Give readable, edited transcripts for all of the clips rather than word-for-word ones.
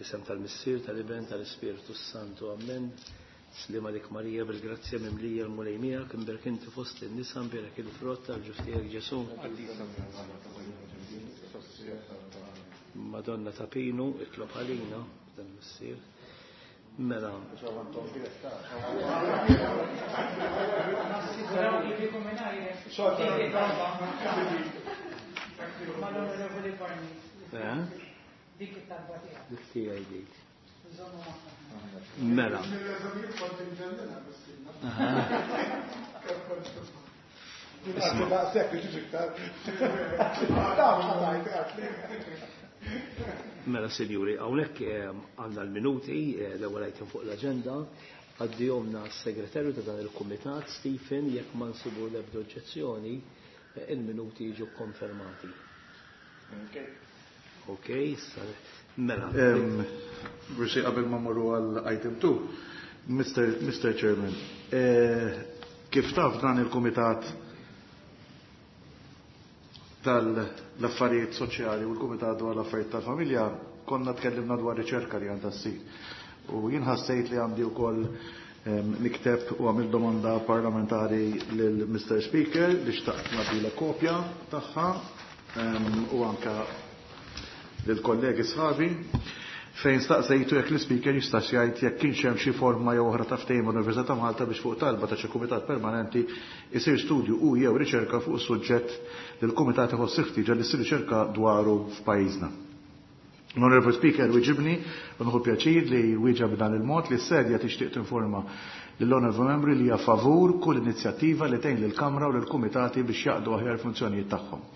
Fl-isem tal-Missier, tal-Iben, tal-Ispirtu Santu. Amen. Sliem għalik Marija, bil-grazzja mimlija l-Mulej miegħek, imbierek inti fost in-nisa, imbierek il-frott tal-ġuf tiegħek Ġesù. Madonna ta' Pinu, itlob għalina, dan missier. Mela. Eh? Dik it-talba tiegħek. Dik tiegħi dik. Mela. Mela, sinjuri, hawnhekk eh, għandna l-minuti, eh, l-ewwel item fuq l-aġenda, għaddihomna s-segretarju ta' dan il-kumitat, Stephen, jekk ma nsibu l-ebda oġġezzjoni, eh, il-minuti jiġu konfermati. Ok, issa, mela. Forsi qabel ma morru għal item 2, Mr. Chairman, kif taf dan il-Kumitat tal-Affarijiet Soċjali u l-Kumitat dwar l-Affarijiet tal-Familja konna tkellimna dwar riċerka li għandha ssir. U jien ħassejt li għandi wkoll nikteb u għamil domanda parlamentari lil Mr. Speaker li xtaqt nagħtilek kopja tagħha u anka lill-kollegi sħabi fejn staqsejtu jekk l-Ispeaker jistax jgħid jekk kienx hemm xi forma jew oħra ta' ftehim mal-Università ta' Malta biex fuq talba ta' xi kumitat permanenti jsir studju u jew riċerka fuq is-suġġett li l-kumitat iħoss il-ħtieġa li ssir riċerka dwaru f'pajjiżna. L-Honorable Speaker wiġibni u nieħu pjaċir li wieġeb b'dan il-mod li s-Sedja tixtieq tinforma lill-Honorable Membri li hija favur kull inizjattiva li tgħin lill-Kamra u lill-Kumitati biex jaqdu aħjar il-funzjonijiet tagħhom.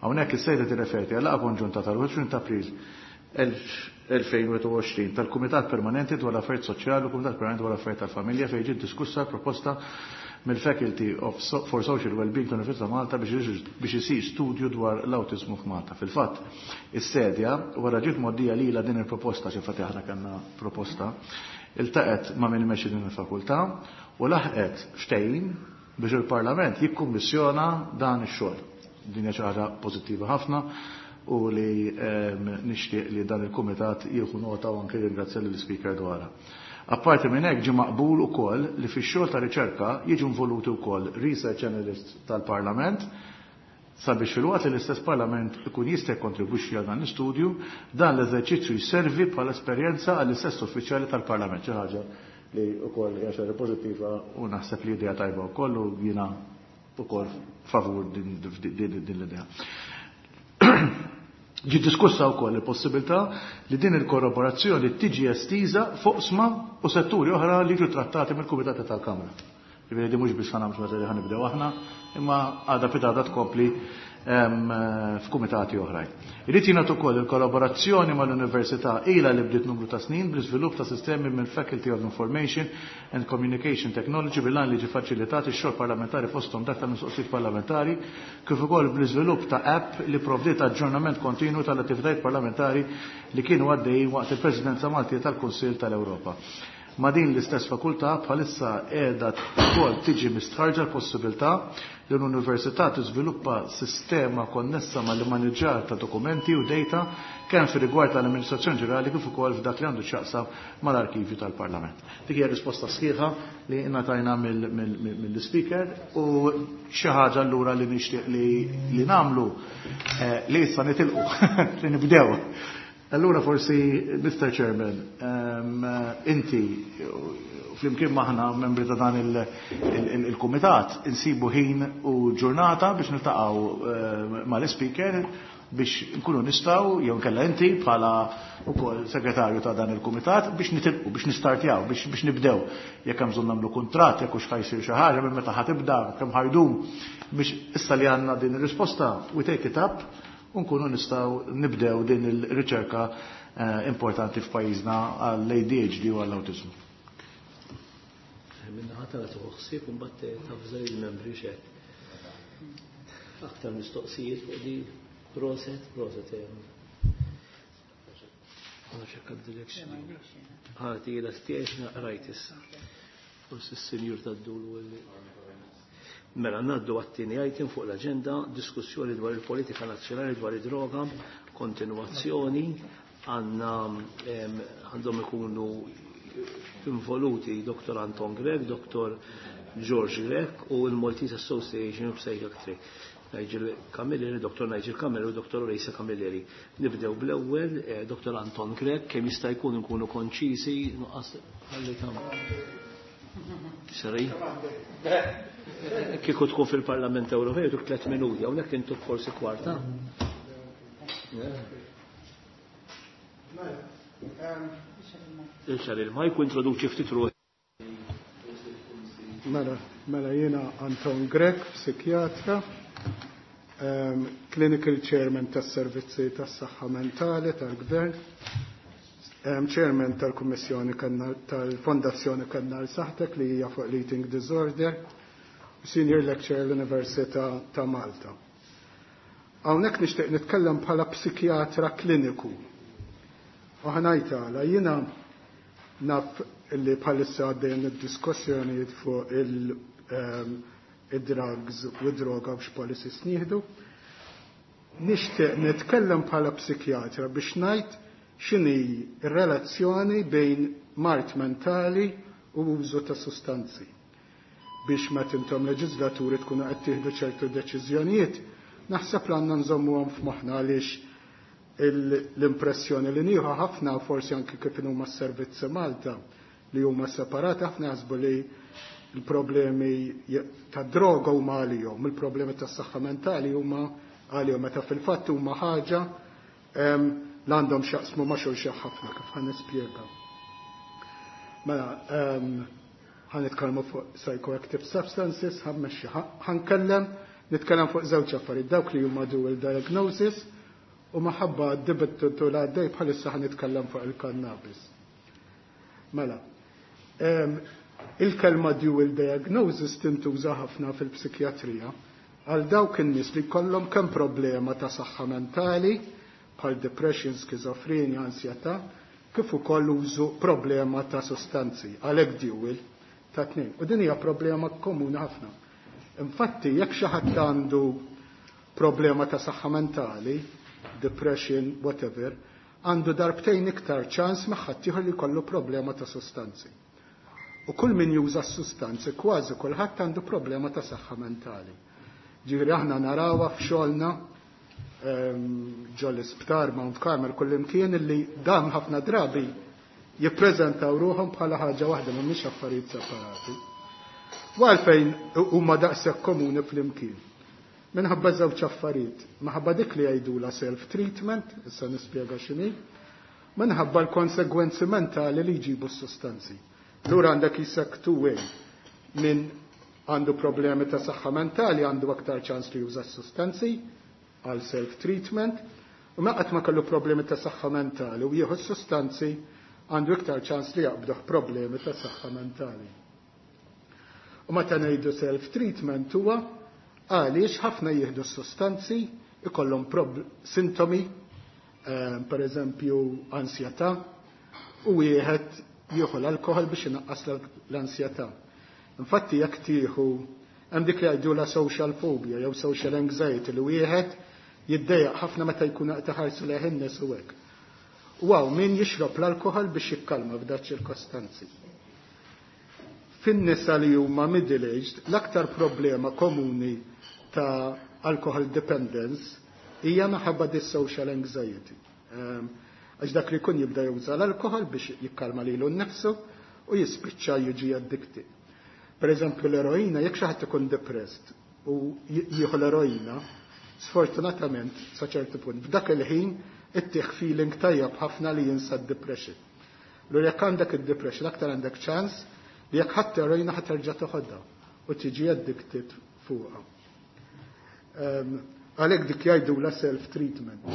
Hawnhekk is-Sedja tirreferi għal laqgħa konġunta tal-21 ta' April 2021 tal-Kumitat Permanenti dwar l-Affarijiet Soċjali u Kumitat Permanenti dwar l-Affarijiet tal-Familja fejn ġiet diskussa l-proposta mill-Faculty of for Social Wellbeing tal-Università ta' Malta biex isir studju dwar l-awtiżmu f'Malta. Fil-fatt, is-Sedja, wara ġiet mgħoddija lilha din il-proposta, xi infatti aħna kellna proposta, iltaqgħet ma' min imexxi din il-fakultà u laħqet ftehim biex il-Parlament jikkummissjona dan ix-xogħol. Din hija xi ħaġa pożittiva ħafna u li nixtieq li dan il-Kumitat jieħu nota u anke jirringrazzja lill-Ispeaker dwarha. Apparti minn hekk ġie maqbul ukoll li fix-xogħol ta' riċerka jiġu involuti wkoll research analysts tal-Parlament sabiex filwaqt li l-istess Parlament ikun jista' jikkontribwixxi għal dan l-istudju, dan l-eżerċizzju jservi bħala esperjenza għall-istess uffiċjali tal-Parlament, xi ħaġa li wkoll hija xi ħaġa pożittiva u naħseb li idea tajba wkoll u jiena ukoll favur din l-idea. Ġiet diskussa wkoll il-possibilità li din il-korroborazzjoni tiġi estiża f'oqsma u setturi oħra li jiġu trattati mill-kumitati tal-Kamra. Jiġifieri din mhux biss ħa nagħmlu xi ħaġa li ħa nibdew aħna, imma għada pitgħada tkompli f'kumitati oħrajn. Irid jingħad ukoll il-kollaborazzjoni mal-Università ilha li bdiet numru ta' snin bl-iżvilupp ta' sistemi mill-Faculty of Information and Communication Technology bil-għan li jiġi faċilitat ix-xogħol parlamentari fosthom dak tal-mistoqsijiet parlamentari kif ukoll bl-iżvilupp ta' app li pprovdiet aġġornament kontinwu tal-attivitajiet parlamentari li kienu għaddejjin waqt il-Presidenza Maltija tal-Kunsill tal-Ewropa. Ma' din l-istess fakultà bħalissa qiegħda wkoll tiġi mistħarrġa l-possibilità li l-Università tiżviluppa sistema konnessa mal-immaniġġar ta' dokumenti u data kemm fir-rigward tal-amministrazzjoni ġenerali kif ukoll f'dak li għandu x'jaqsam mal-arkivju tal-Parlament. Dik hija risposta sħiħa li ngħatajna mill-Ispeaker u xi ħaġa allura li nixtieq li nagħmlu li issa nitilqu li nibdew. Allura forsi, Mr. Chairman, inti flimkien maħna membri ta' dan il-kumitat insibu ħin u ġurnata biex niltaqgħu mal-Ispeaker biex nkunu nistgħu jew nkella inti bħala wkoll segretarju ta' dan il-kumitat biex nitilqu, biex nistartjaw, biex nibdew. Jekk hemm bżonn nagħmlu kuntratt, jekk hux ħajsir xi ħaġa minn meta ħatibda, kemm ħajdum biex issa li għandna din ir-risposta we take it up u nkunu nistgħu nibdew din il-riċerka importanti f'pajjiżna għall-ADHD u għall-awtiżmu. Minna ħatara tuħu ħsieb u mbagħad tafżel il-membri xed. Aktar mistoqsijiet fuq di proset, proset Għana ċekka d-direction. Ħati jela stiex naqrajt issa. Forsi s-senjur tad-dul u Mela ngħaddu għat-tieni item fuq l-aġenda, diskussjoni dwar il-politika nazzjonali dwar id-droga, kontinwazzjoni. Għandna għandhom ikunu involuti Dr. Anton Grech, Dr. George Grech u l-Maltese Association of Psychiatry. Nigel Camilleri, Dr. Nigel Camilleri u Dr. Reisa Camilleri. Nibdew bl-ewwel Dr. Anton Grech, kemm jista' jkun nkunu konċiżi, nuqqas ħalli tam. Sorry. Kieku tkun fil-Parlament Ewropew tuk 3 minuti, hawnhekk intuk forsi kwarta. Ixar il-majk u introduċi ftit ruħi. Mela jiena Anton Grech, psikjatra, clinical chairman tas-servizzi tas-saħħa mentali tal-Gvern, chairman tal-Kummissjoni tal-Fondazzjoni Kannar Saħtek li hija fuq l-Eating Disorder, senior lecturer l-Università ta' Malta. Hawnhekk nixtieq nitkellem bħala psikjatra kliniku. U ħanajt għala jiena naf li bħalissa għaddejn id-diskussjonijiet fuq il-drugs u droga biex policies nieħdu. Nixtieq nitkellem bħala psikjatra biex ngħid x'inhi r-relazzjoni bejn mard mentali u użu ta' sustanzi. Biex meta intom leġislaturi tkunu qed tieħdu ċertu deċiżjonijiet, naħseb li għandna nżommuhom f'moħħna għaliex l-impressjoni li nieħu ħafna forsi anki kif huma s-servizzi Malta li huma separati, ħafna jaħsbu li l-problemi ta' droga huma għalihom, il-problemi tas saħħa mentali huma għalihom, meta fil-fatt huma ħaġa li għandhom x'jaqsmu ma' xulxin ħafna, kif ħa nispjega. Mela, ħa nitkellmu fuq psychoactive substances, ħammexxi, ħankellem, nitkellem fuq żewġ affarijiet, dawk li huma dual diagnosis u maħabba d-dibattitu li għaddej bħalissa ħa nitkellem fuq il-cannabis. Mela, il-kelma dual diagnosis tintuża ħafna fil-psikjatrija għal dawk in-nies li jkollhom kemm problema ta' saħħa mentali bħal depression, skizofrenja, ansjetà, kif ukoll użu problema ta' sostanzi, għalhekk dual ta' tnejn. U din hija problema komuni ħafna. Infatti, jekk xi ħadd għandu problema ta' saħħa mentali, depression, whatever, għandu darbtejn iktar ċans ma' ħaddieħor li jkollu problema ta' sostanzi. U kull min juża s-sustanzi, kważi kulħadd għandu problema ta' saħħa mentali. Ġifieri aħna narawha f'xogħolna ġol isptar Mount Carmel kullimkien illi dan ħafna drabi jippreżentaw ruħhom bħala ħaġa waħda mhumiex affarijiet separati. U għalfejn huma daqshekk komuni flimkien? Minħabba żewġ affarijiet, minħabba dik li jgħidula self-treatment, issa nispjega x'inhi, minħabba l-konsegwenzi mentali li jġibu s-sustanzi. Lura għandek jisek two way, min għandu problemi ta' saħħa mentali għandu aktar ċans li juża s-sustanzi għal self-treatment, u ma qatt ma kellu problemi ta' saħħa mentali u jieħu s-sustanzi għandu iktar ċans li jaqbduh problemi ta' saħħa mentali. U meta ngħidu self-treatment huwa għaliex ħafna jieħdu s-sustanzi ikollhom sintomi, per eżempju ansjetà, u wieħed jieħu l-alkohol biex inaqqas l-ansjetà. Infatti jekk tieħu hemm dik li jgħidu la social phobia jew social anxiety li wieħed jiddejjaq ħafna meta jkun qed iħarsu lejh in-nies u hekk. U hawn min jixrob l-alkohol biex jikkalma f'dak ċirkostanzi. Fin-nisa li huma middle-aged, l-aktar problema komuni ta' alcohol dependence hija minħabba dis social anxiety. Għax dak li jkun jibda juża l-alkohol biex jikkalma lilu nnifsu u jispiċċa jiġi addicted. Per eżempju l-eroina, jekk xi ħadd ikun depressed u jieħu l-eroina, sfortunatament sa ċertu punt, f'dak il-ħin ittieħ feeling tajjeb ħafna li jinsa d-depression. Lura jekk għandek id-depression, aktar għandek ċans li jekk ħadd eroina ħadd terġa' toħodha u tiġi addicted fuqha. Għalhekk dik jgħidu la self-treatment.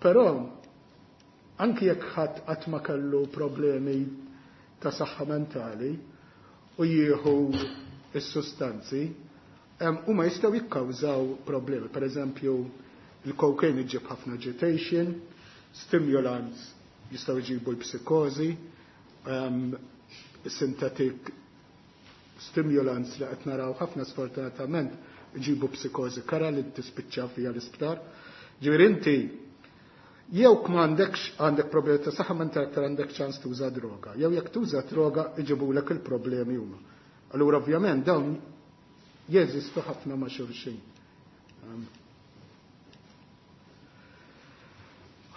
Però anki jekk ħadd qatt ma kellu problemi ta' saħħa mentali u jieħu s-sustanzi, huma jistgħu jikkawżaw problemi. Per eżempju, il-cocaine iġib ħafna agitation, stimulants jistgħu jġibu l-psikożi, synthetic stimulants li qed naraw ħafna sfortunatament iġibu psikożi kara li tispiċċa fija l-isptar. Ġifieri inti Jew m'għandekx għandek problemi ta' saħħa mentali aktar għandek ċans tuża droga. Jew jekk tuża droga iġibulek il-problemi huma. Allura ovvjament dawn jeżistu ħafna ma' xulxin.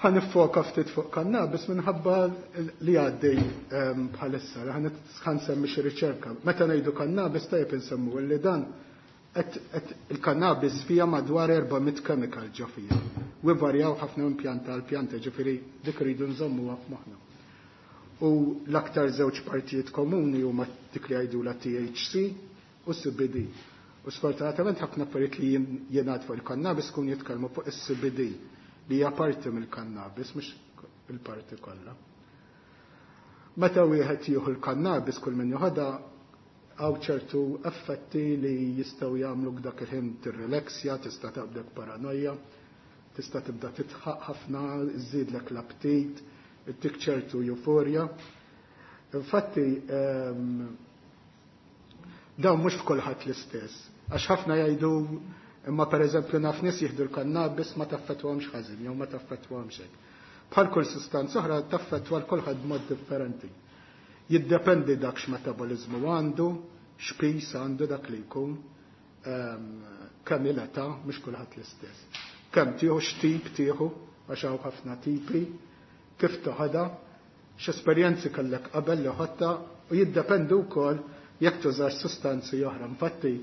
Ħa niffoka ftit fuq kannabis minħabba li għaddej bħalissa, ħa nsemmi xi riċerka. Meta ngħidu kannabis tajjeb insemmu li dan il-kannabis fija madwar 400 chemical ġo fija. U varjaw ħafna minn pjanta għal pjanta, ġifieri dik rridu nżommuha f'moħħna. U l-aktar żewġ partijiet komuni huma dik li jgħidulha THC u CBD. U sfortunatament ħafna affarijiet li jingħad fuq il-kannabis kun jitkellmu fuq is-CBD li hija parti mill-kannabis, mhux il-parti kollha. Meta wieħed jieħu l-kannabis kull min joħodha hawn ċertu effetti li jistgħu jagħmlu dak il-ħin tirrelaxja, tista' taqbdek paranoja, tista' tibda titħaq ħafna, iżidlek l-aptit, ittik ċertu euforja. Infatti, dawn mhux f'kulħadd l-istess. Għax ħafna jgħidu imma pereżempju naf nies jieħdu l-kannabis ma taffettwahomx ħażin jew ma taffettwahomx hekk. Bħal kull sustanza oħra taffettwa l kulħadd b'mod differenti. Jiddependi dak x'metaboliżmu għandu, x'pis għandu dak li jkun, kemm il-età, mhux kulħadd l-istess. Kemm tieħu, x'tip tieħu, għax hawn ħafna tipi, kif toħodha, x'esperjenzi kellek qabel li ħodta, u jiddependu wkoll jekk tużax sustanzi oħra. Infatti,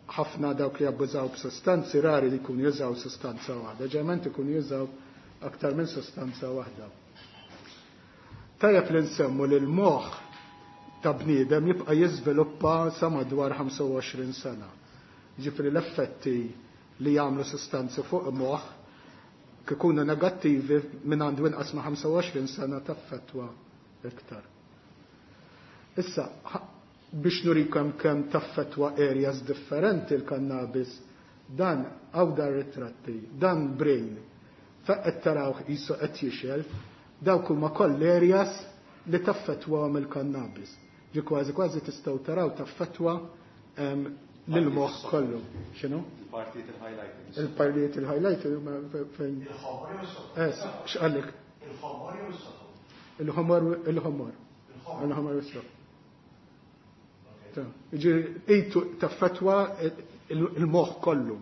ħafna dawk li abbużaw b'sustanzi rari li jkunu jużaw sustanza waħda, ġeneralment ikunu jużaw aktar minn sustanza waħda. Tajjeb li nsemmu li l-moħħ ta' bniedem jibqa' jiżviluppa sa madwar 25 sena. Ġifieri l-effetti li jagħmlu sustanzi fuq moħħ kikunu negattivi minn għandu inqas ma' 25 sena taffettwa iktar. Issa, biex nurikom kemm taffettwa areas differenti l-kannabis, dan għaw dar ritratti, dan brain, fejn tarawh qisu qed jixgħel, dawk huma koll areas li taffettwa mill-kannabis. Ġi kważi kważi tistgħu taraw taffettwa lil-moħħ kollu. X'inhu? Il-partijiet il-highlighting. Il-partijiet il-highlighting huma fejn. Il-ħomor jew is-sofor? X'qallek? Il-ħomor jew is-sofor? Il-ħomor, il-ħomor. Il-ħomor u s-sofor. Ġi taffettwa il-moħħ kollu.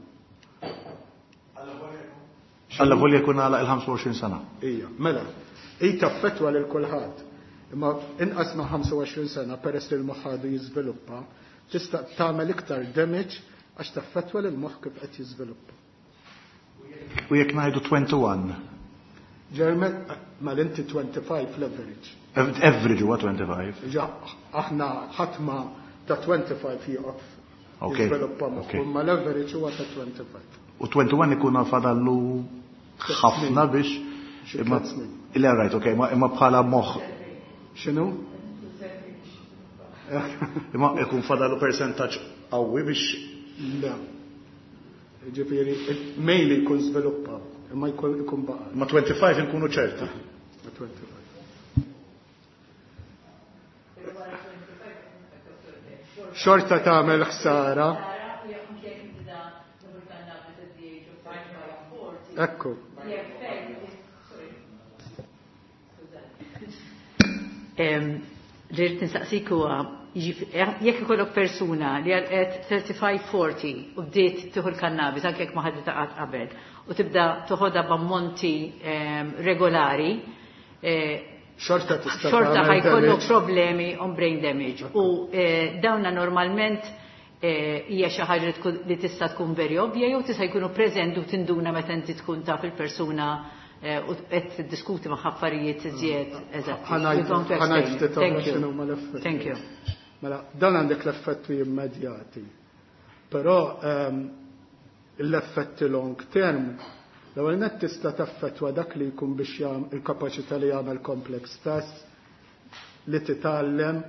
Alla volja jkun għalaq il-25 sena. Ija, mela, i taffettwa lil kulħadd. Imma inqas ma' 25 sena peress li l-moħħ għadu jiżviluppa, tista' tagħmel iktar damage għax taffettwa lil moħħ kif qed jiżviluppa. U jekk ngħidu 21? Ġermen, ma l-inti 25 l-average. Average huwa 25. Ġa, aħna ħadd ma ta' 25 jieqaf jiżviluppa moħħu, imma l-average huwa ta' 25. U 21 ikun fadallu ħafna biex Xi imma tliet snin. Le, right, okay, imma bħala moħħ. X'inhu? Imma ikun fadallu percentaġġ qawwi biex Le. Ġifieri, mainly jkun żviluppa, imma jkun baqa'. Ma 25 inkunu ċerti. Ma 25. Xorta tagħmel ħsara. Ekku. Li rrid nistaqsik huwa, jekk ikollok persuna li għalqet 35-40 u bdiet tieħu l-kannabis anke jekk ma ħaditha qatt qabel u tibda toħodha b'ammonti regolari, Xorta tista' xorta tagħmel ħajkollok damage. problemi on brain damage. U dawna normalment hija xi ħaġa li tista' tkun very ovvja jew tista' jkunu preżenti u tinduna meta inti tkun taf il-persuna u qed tiddiskuti ma' affarijiet iżjed eżatti. Ħanajt You don't explain. ħanajt ftit oħra Thank you. x'inhu ma l-effetti. Thank you. Mela, dan għandek l-effetti immedjati. Però l-effetti long term, l-ewwel nett tista' taffettwa dak li jkun biex il-kapaċità li jagħmel complex tasks, li titgħallem,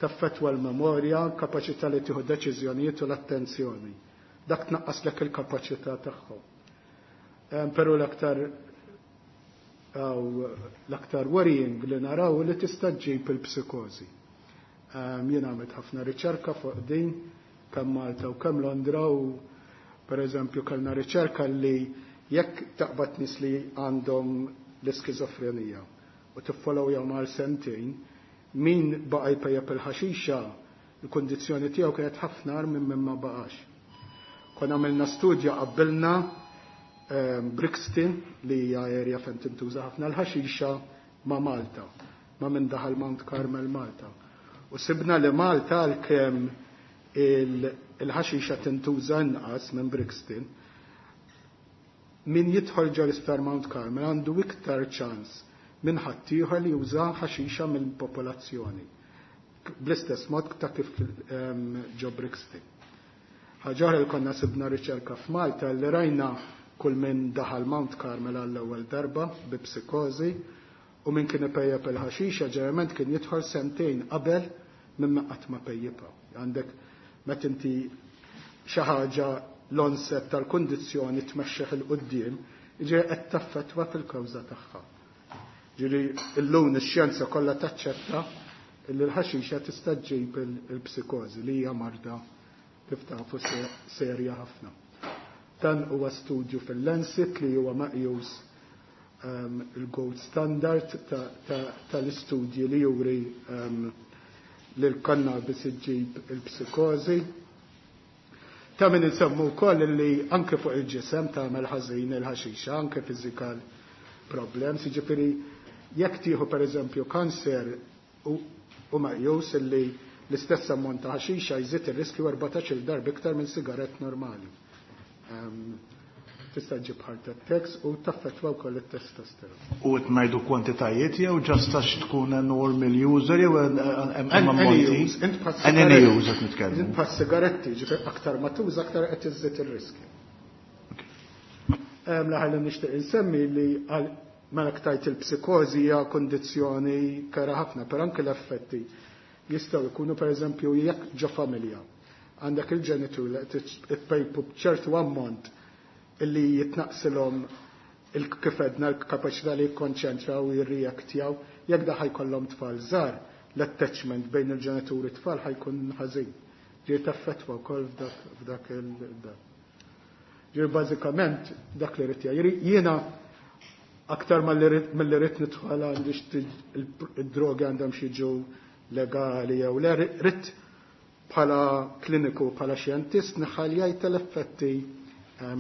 taffettwa l-memorja, kapaċità li tieħu deċiżjonijiet u l-attenzjoni. Dak tnaqqaslek il-kapaċità tagħhom. Però l-aktar worrying li naraw li tista' ġġib il-psikożi. Jien għamilt ħafna riċerka fuq din, kemm Malta u kemm Londra, u per eżempju kellna riċerka li Jekk taqbad nies li għandhom l-iskizofrenija u tiffollowjahom għal sentejn, min baqa' jpejjep il-ħaxixa, il-kundizzjoni tiegħu kienet ħafna agħar minn min ma baqax. Konna għamilna studja qabbilna Brixton li hija area fejn tintuża ħafna l-ħaxixa ma' Malta, ma' min daħal Mount Carmel Malta. U sibna li Malta għalkemm il-ħaxixa tintuża inqas minn Brixton, min jidħol ġo l-isptar Mount Carmel għandu iktar ċans minn ħaddieħor li juża ħaxixa mill-popolazzjoni. Bl-istess mod ta' kif ġo Brixton. Ħaġa oħra li konna sibna riċerka f'Malta li rajna kull min daħal Mount Carmel għall-ewwel darba bi psikożi u min kien ipejjep il-ħaxixa ġeneralment kien jidħol sentejn qabel minn ma qatt ma pejjipha. Għandek meta inti xi ħaġa l-onset tal-kundizzjoni tmexxih 'il quddiem, jiġifieri qed taffettwa fil-kawża tagħha. Ġifieri illum ix-xjenza kollha taċċetta li l-ħaxixa tista' ġġib il-psikożi li hija marda kif tafu serja ħafna. Dan huwa studju fil-Lancet li huwa meqjus il-gold standard tal-istudji li juri li l-cannabis iġġib il-psikożi. Ta' min insemmu wkoll li anke fuq il-ġisem tagħmel ħażin il-ħaxixa, anke physical problems, jiġifieri jekk tieħu pereżempju kanser u meqjus li l-istess ammont ta' ħaxixa jżid ir-riskju 14-il darba iktar minn sigarett normali. Tista' ġġib heart attacks u taffettwa wkoll it-testosteron. U qed ngħidu kwantitajiet jew just għax tkun a normal user jew hemm ammonti? Any user qed nitkellmu. Int bħal sigaretti, ġifier aktar ma tuża aktar qed iżżid ir-riskju. L-aħħar li nixtieq insemmi li mela ktajt il-psikożi hija kondizzjoni kera ħafna, però anke l-effetti jistgħu jkunu pereżempju jekk ġo familja għandek il-ġenitur li qed ippejpu b'ċertu ammont illi jitnaqsilhom kif għedna l-kapaċità li jikkonċentraw u jirreaktjaw, jekk da ħajkollhom tfal żgħar, l-attachment bejn il-ġenituri tfal ħajkun ħażin. Ġier taffettwa wkoll f'dak il-dak. Ġier bażikament dak li rrid jgħid. Jiena aktar mill-li rrid nidħol għandix id-drogi għandhom xi jiġu legali jew le, rrid bħala kliniku, bħala xjentist nħaljajt l-effetti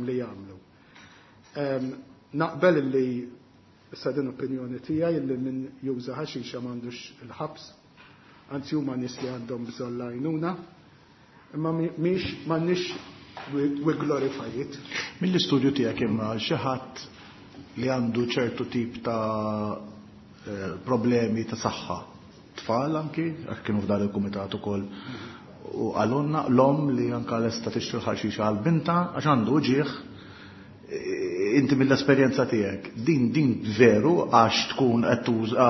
li jagħmlu. Naqbel li issa din opinjoni tiegħi li min juża ħaxixa m'għandux il-ħabs, anzi huma nies li għandhom bżonn l-għajnuna, imma mhix m'għandniex we glorify it. Mill-istudju tiegħek imma xi ħadd li għandu ċertu tip ta' problemi ta' saħħa, tfal anki, għax kienu f'dan il-kumitat ukoll, u għalunna l-om li anka lesta tixtri l-ħaxixa għal binta għax għandu ġieħ, inti mill-esperjenza tiegħek, din veru għax tkun qed tuża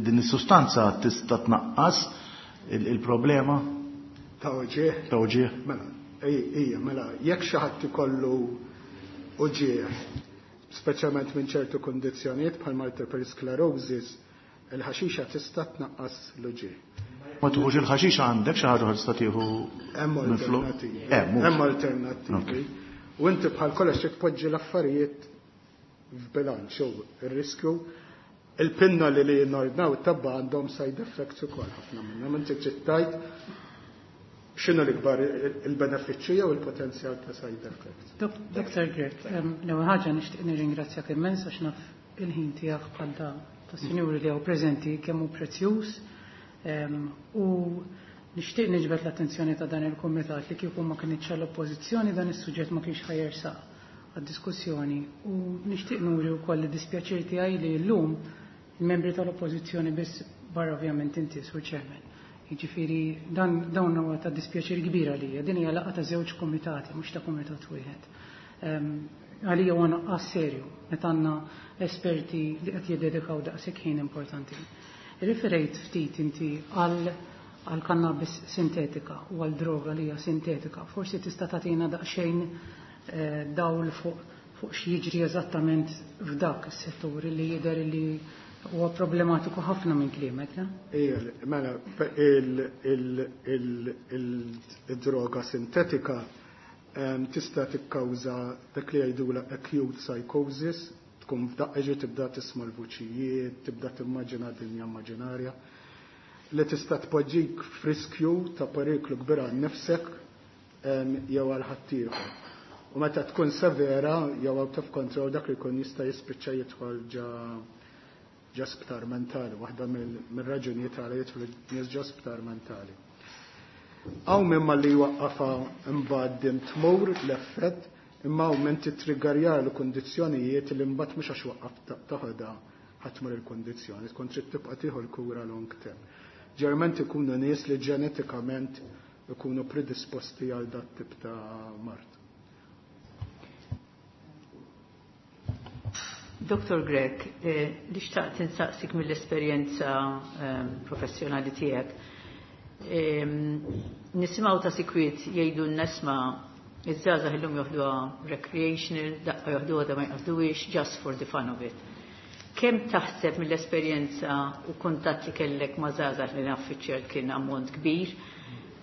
din is-sustanza tista' tnaqqas il-problema? Ta' uġieħ? Ta' uġieħ. Mela, ejja, mela, jekk xi ħadd ikollu uġieħ, speċjalment minn ċertu kundizzjonijiet bħal multiple sclerosis, il-ħaxixa tista' tnaqqas l-uġieħ. Ma tuħux il-ħaxixa għandek xi ħaġa tista' tieħu Hemm minn flok? alternattivi. Hemm, mhux. Hemm alternattivi. U inti bħal kollox trid tpoġġi l-affarijiet f'bilanċ u r-riskju. Il-pinna li nordnaw it-tabba għandhom side effects ukoll ħafna minnhom. Inti trid tgħid x'inhu l-ikbar il-benefiċċju jew il-potenzjal ta' side effects. Dr. Grech, l-ewwel ħaġa nixtieq nirringrazzjak immens għax naf il-ħin tiegħek bħal da tas-sinjuri li hawn preżenti kemm hu prezzjuż. U nixtieq niġbed l-attenzjoni ta' dan il-kumitat li kieku ma kinitx għall-oppożizzjoni dan is-suġġett ma kienx ħajersaq għad-diskussjoni. U nixtieq nuri wkoll id-dispjaċir tiegħi li llum il-membri tal-oppożizzjoni biss barra ovvjament inti sur chairman. Jiġifieri dawn huwa ta' dispjaċir kbir għalija. Din hija laqgħa ta' żewġ kumitati, mhux ta' kumitat wieħed. Għalija huwa nuqqas serju meta għandna esperti li qed jiddedikaw daqshekk ħin importanti. Riferejt ftit inti għal cannabis sintetika u għal droga li hija sintetika. Forsi tista' tagħtina daqsxejn dawl fuq x'jiġri eżattament f'dak is-settur li jidher li huwa problematiku ħafna minn kliemek, le? Ija, mela, il-droga sintetika Tista' tikkawża dak li jgħidula acute psychosis, tkun f'daqqa ġi tibda tisma' l-vuċijiet, tibda timmaġina dinja immaġinarja li tista' tpoġġik f'riskju ta' periklu kbir għal nifsek jew għal ħaddieħor. U meta tkun severa jew out of control, dak li jkun jista' jispiċċa jidħol ġo sptar mentali, waħda mill-raġunijiet għala jidħlu nies ġo sptar mentali. Hawn min malli jwaqqafha imbagħad din tmur l-effett, imma hawn min titriggerja l-kundizzjonijiet li mbagħad mhux għax waqqaf taħodha ħa tmur il-kundizzjoni, tkun trid tibqa' tieħu l-kura long term. Ġeneralment ikunu nies li ġenetikament ikunu predisposti għal dat tip ta' mard. Dr. Grech, li xtaqt insaqsik mill-esperjenza professjonali tiegħek. Nisimgħu ta' sikwit jgħidu n-nesma iż-żgħażagħ illum joħduha recreational, daqqa joħduha da ma jqasduhiex, just for the fun of it. Kemm taħseb mill-esperjenza u kuntatt li kellek ma' żgħażagħ, li naf fiċ kien ammont kbir,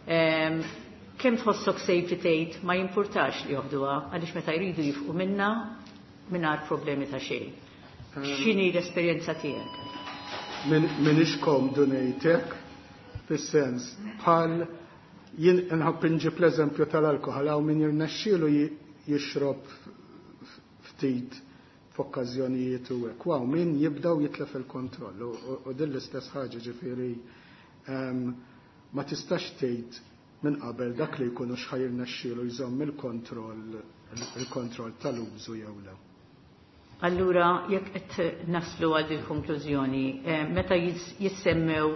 kemm tħossok safe tgħid ma jimpurtax li joħduha għaliex meta jridu jifqu minna mingħajr problemi ta' xejn? X'inhi l-esperjenza tiegħek? M'iniex komdu ngħidlek, fis-sens bħal jien nħobb inġib l-eżempju tal-alkoħol. Hawn min jirnexxielu jixrob ftit f'okkażjonijiet u hekk. Hawn min jibdaw jitlef il-kontroll u din l-istess ħaġa, ġifieri ma tistax tgħid minn qabel dak li jkunu x'ħa jirnexxielu jżomm il-kontroll tal-użu jew le. Allura, jekk qed naslu għal il-konklużjoni, meta jissemmew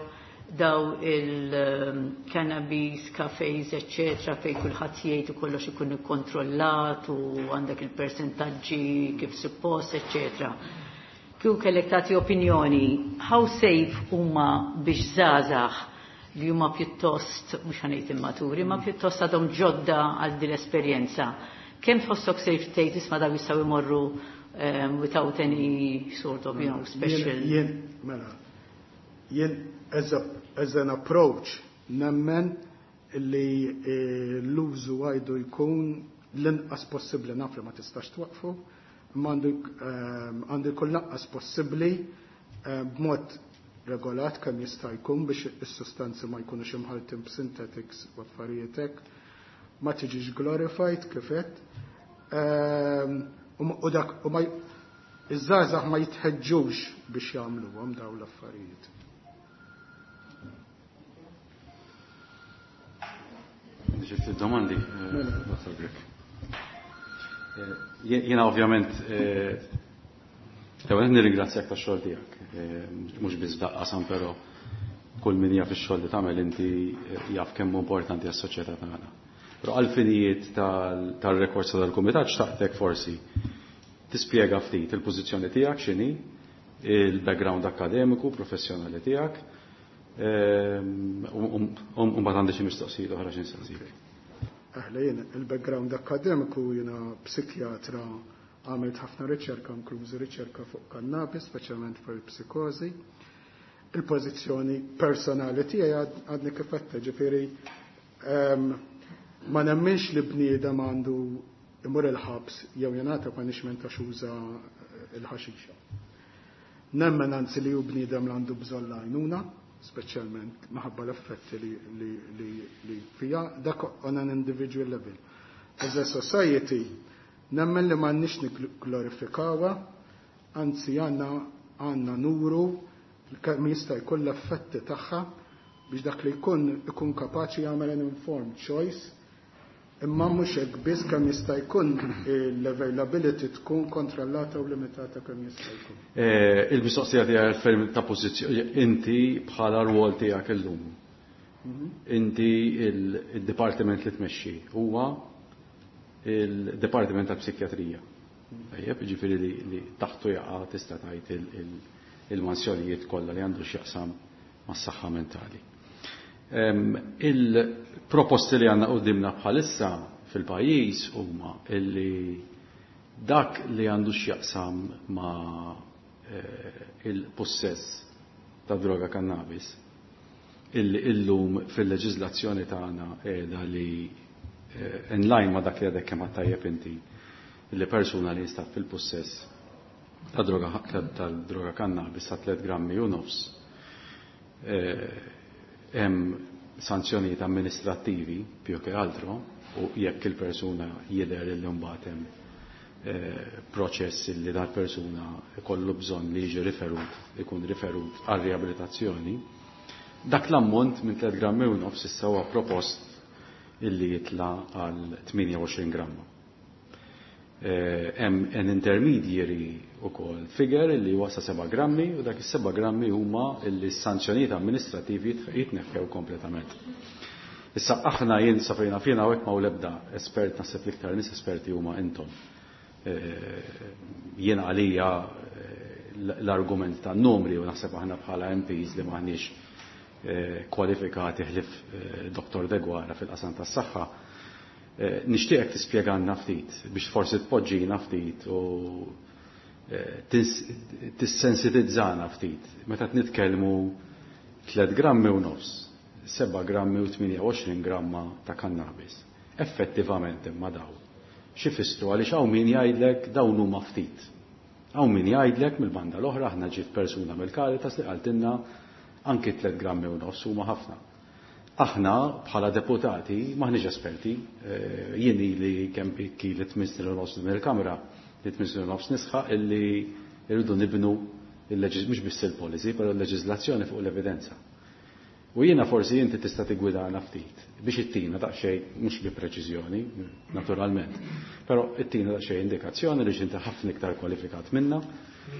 daw il-cannabis cafes, eccetera, fej kulħadd jgħid u kollox ikun ikkontrollat u għandek il-persentaġġi kif suppost, eccetera. Kieku kellek tagħti opinjoni, how safe huma biex żgħażagħ li huma pjuttost, mhux ħa ngħid immaturi, ma pjuttost għadhom ġodda għal din l-esperjenza? Kemm tħossok safe tgħid, isma', daw jistgħu jmorru without any sort of special? Jien, mela, jien as an approach nemmen li l-użu għandu jkun l-inqas possibbli. Naf li ma tistax twaqfu, imma għandu jkun l-inqas possibbli b'mod regolat kemm jista' jkun biex is-sustanzi ma jkunux imħaltin b'synthetics u affarijiet hekk, ma tiġix glorified kif qed. U dak u ma iż-żgħażagħ ma jitħeġġux biex jagħmluhom dawn l-affarijiet. Xi ftit domandi, Dr. Grech. Jiena ovvjament l-ewwel nirringrazzjak tax-xogħol tiegħek, mhux biss f'dal-qasam, però kull min jaf ix-xogħol li tagħmel inti jaf kemm hu importanti għas-soċjetà tagħna. Però għal-finijiet tal-rekords tal-kumitat xtaqtek forsi tispjega ftit il-pożizzjoni tiegħek x'inhi, il-background akademiku, professjonali tiegħek, u mbagħad għandi xi mistoqsijiet oħra xi nsaqsik. Aħla, jien il-background akademiku, jiena psikjatra, għamilt ħafna riċerka, inklużi riċerka fuq cannabis, speċjalment fuq il-psikozi. Il-pożizzjoni personali tiegħi għadni kif għedtha, ġifieri ma nemminx li bniedem għandu imur il-ħabs jew jingħata punishment għax uża il-ħaxixa. Nemmen anzi li hu bniedem li għandu bżonn l-għajnuna, speċjalment minħabba l-effetti li fija, dak on an individual level. As a society, nemmen li m'għandniex nigglorifikawha, anzi għandna nuru kemm jista' jkun l-effetti tagħha biex dak li jkun ikun kapaċi jagħmel an informed choice, imma mhux hekk biss, kemm jista' jkun l-availability tkun kontrollata u limitata kemm jista' jkun. Il-mistoqsija tiegħek ferm ta' pożizzjoni inti bħala rwol tiegħek illum. Inti il-dipartiment li tmexxi huwa il-Dipartiment tal-Psikjatrija. Tajjeb, ġifieri li taħtu jaqa' tista' tgħid il-mansjonijiet kollha li għandu x'jaqsam mas-saħħa mentali. Il-proposti li għandna qudiemna bħalissa fil-pajjiż huma illi dak li għandu x'jaqsam ma' il-possess ta' droga cannabis, illi illum fil-leġiżlazzjoni tagħna qiegħda li In line ma' dak li għadek kemm tajjeb inti li persuna li jinstab fil-pussess ta' droga tal-droga kannabis ta' 3 grammi u nofs hemm sanzjonijiet amministrattivi più che altro u jekk il-persuna jidher li mbagħad hemm proċess li dal-persuna ikollu bżonn li jiġi riferut, ikun riferut għal riabilitazzjoni, dak l-ammont minn 3 grammi u nofs issa huwa propost illi jitla għal 28 gramma. Hemm an intermediary ukoll figure illi huwa sa 7 grammi u dak is-7 grammi huma illi s-sanzjonijiet amministrativi jitneħħew kompletament. Issa aħna jien sa fejna fina hawnhekk ma l-ebda espert, naħseb l-iktar nies esperti huma intom. Jien għalija l-argument ta' numri u naħseb aħna bħala MPs li maħniex kwalifikati ħlif Dr. Deguara fil-qasam tas-saħħa, nixtieqek tispjegalna ftit biex forsi tpoġġina ftit u tissensitizzana ftit meta nitkellmu 3 grammi u nofs, 7 grammi u 28 gramma ta' kannabis. Effettivament imma daw x'ifissru, għaliex hawn min jgħidlek dawn huma ftit. Hawn min jgħidlek mill-banda l-oħra, aħna ġiet persuna mill-Caritas li qaltilna anki 3 grammi u nofs huma ħafna. Aħna bħala deputati maħniex esperti, jien li kemm pikki li 8 snin u nofs din il-Kamra, li 8 snin u nofs nisħaq illi irridu nibnu mhux biss il-policy, però l-leġiżlazzjoni fuq l-evidenza. U jiena forsi inti tista' tiggwidana ftit biex ittina daqsxejn, mhux bi preċiżjoni, naturalment, però ittina daqsxejn indikazzjoni li inti ħafna iktar kwalifikat minna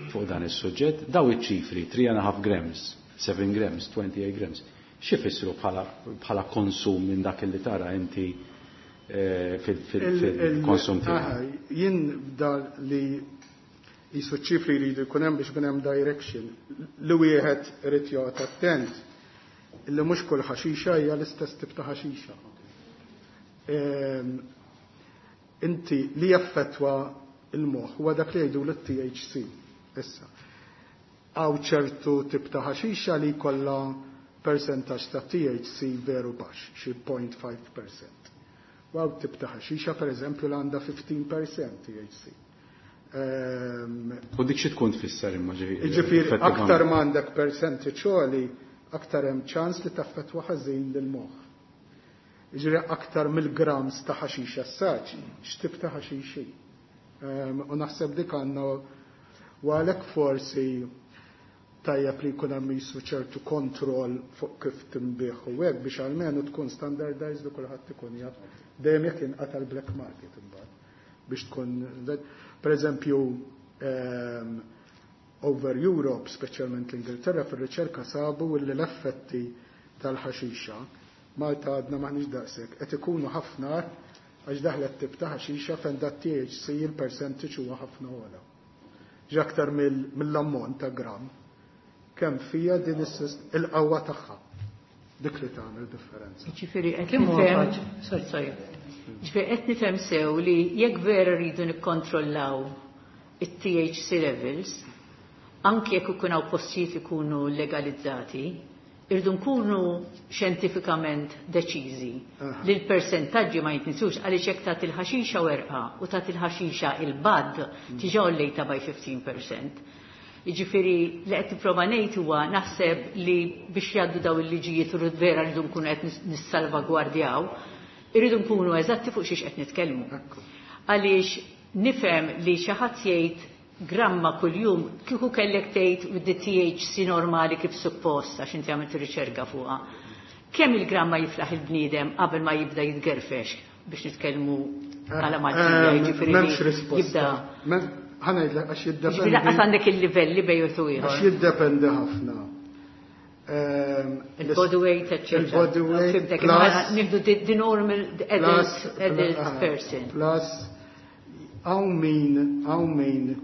fuq dan is-suġġett. Daw iċ-ċifri 3.5 grams, 7 grams, 28 grams, x'ifissru bħala konsum minn dak li tara inti fil-konsum tiegħek? Jien da li jisu ċifri li jkun hemm biex ikun hemm direction li wieħed irid joqgħod attent illi mhux kull ħaxixa hija l-istess tip ta' ħaxixa. Inti li jaffettwa il-moħħ huwa dak li jgħidu l-THC. Issa. Hawn ċertu tip ta' ħaxixa li jkollha percentaġġ ta' THC veru baxx, xi 0.5%. U hawn tip ta' ħaxixa per eżempju li għandha 15% THC. U dik xi tkun tfisser imma ġifieri? Ġifieri aktar m'għandek percentage għoli, aktar hemm ċans li taffettwa ħażin lill-moħħ. Ġifieri aktar mill-grams ta' ħaxixa s-saċ, x'tip ta' ħaxixi. U naħseb dik għandna u għalhekk forsi tajjeb li jkun hemm jisu ċertu kontroll fuq kif tinbigħ u hekk biex almenu tkun standardized u kulħadd ikun jaf dejjem jekk inqata' l-black market imbagħad biex tkun, per eżempju, over Europe, speċjalment l-Ingilterra, fir-riċerka sabu li l-effetti tal-ħaxixa, Malta għadna maħniex daqshekk, qed ikunu ħafna għax daħlet tip ta' ħaxixa fejn dat THC il-percentage huwa ħafna ogħla. Ġi aktar mill-ammont ta' gram kemm fija din il-qawwa tagħha. Dik li tagħmel differenza. Ġifieri qed nifhem, sorry, sorry. Ġifieri qed nifhem sew li jekk vera rridu nikkontrollaw it-THC levels, anke jekk ikun hawn postijiet ikunu legalizzati, irridu nkunu xjentifikament deċiżi li l-persentaġġi ma jitnisux, għaliex jekk tagħti il-ħaxixa werqa u tagħti il-ħaxixa il-bud tiġa għollejta by 15%. Jiġifieri li qed nipprova ngħid huwa naħseb li biex jgħaddu daw il-liġijiet u vera rridu nkunu qed nissalvagwardjaw, irridu nkunu eżatti fuq xiex qed nitkellmu. Għaliex nifhem li xi ħadd jgħid gramma kuljum, kieku kellek tgħid with the THC normali kif suppost, għax inti għamilt riċerka fuqha. Kemm il-gramma jiflaħ il-bniedem qabel ma jibda jitgerfex, biex nitkellmu għala Maltija, jiġifieri M'hemmx risposta. Jibda. Ħa ngħidlek għax jiddependi. Jiġifieri lanqas għandek il-livelli bejn u ieħor. Għax jiddependi ħafna. Il-body weight, eccetera. Il-body weight Fimtek, plus imma nieħdu the normal adult person. Plus, hawn min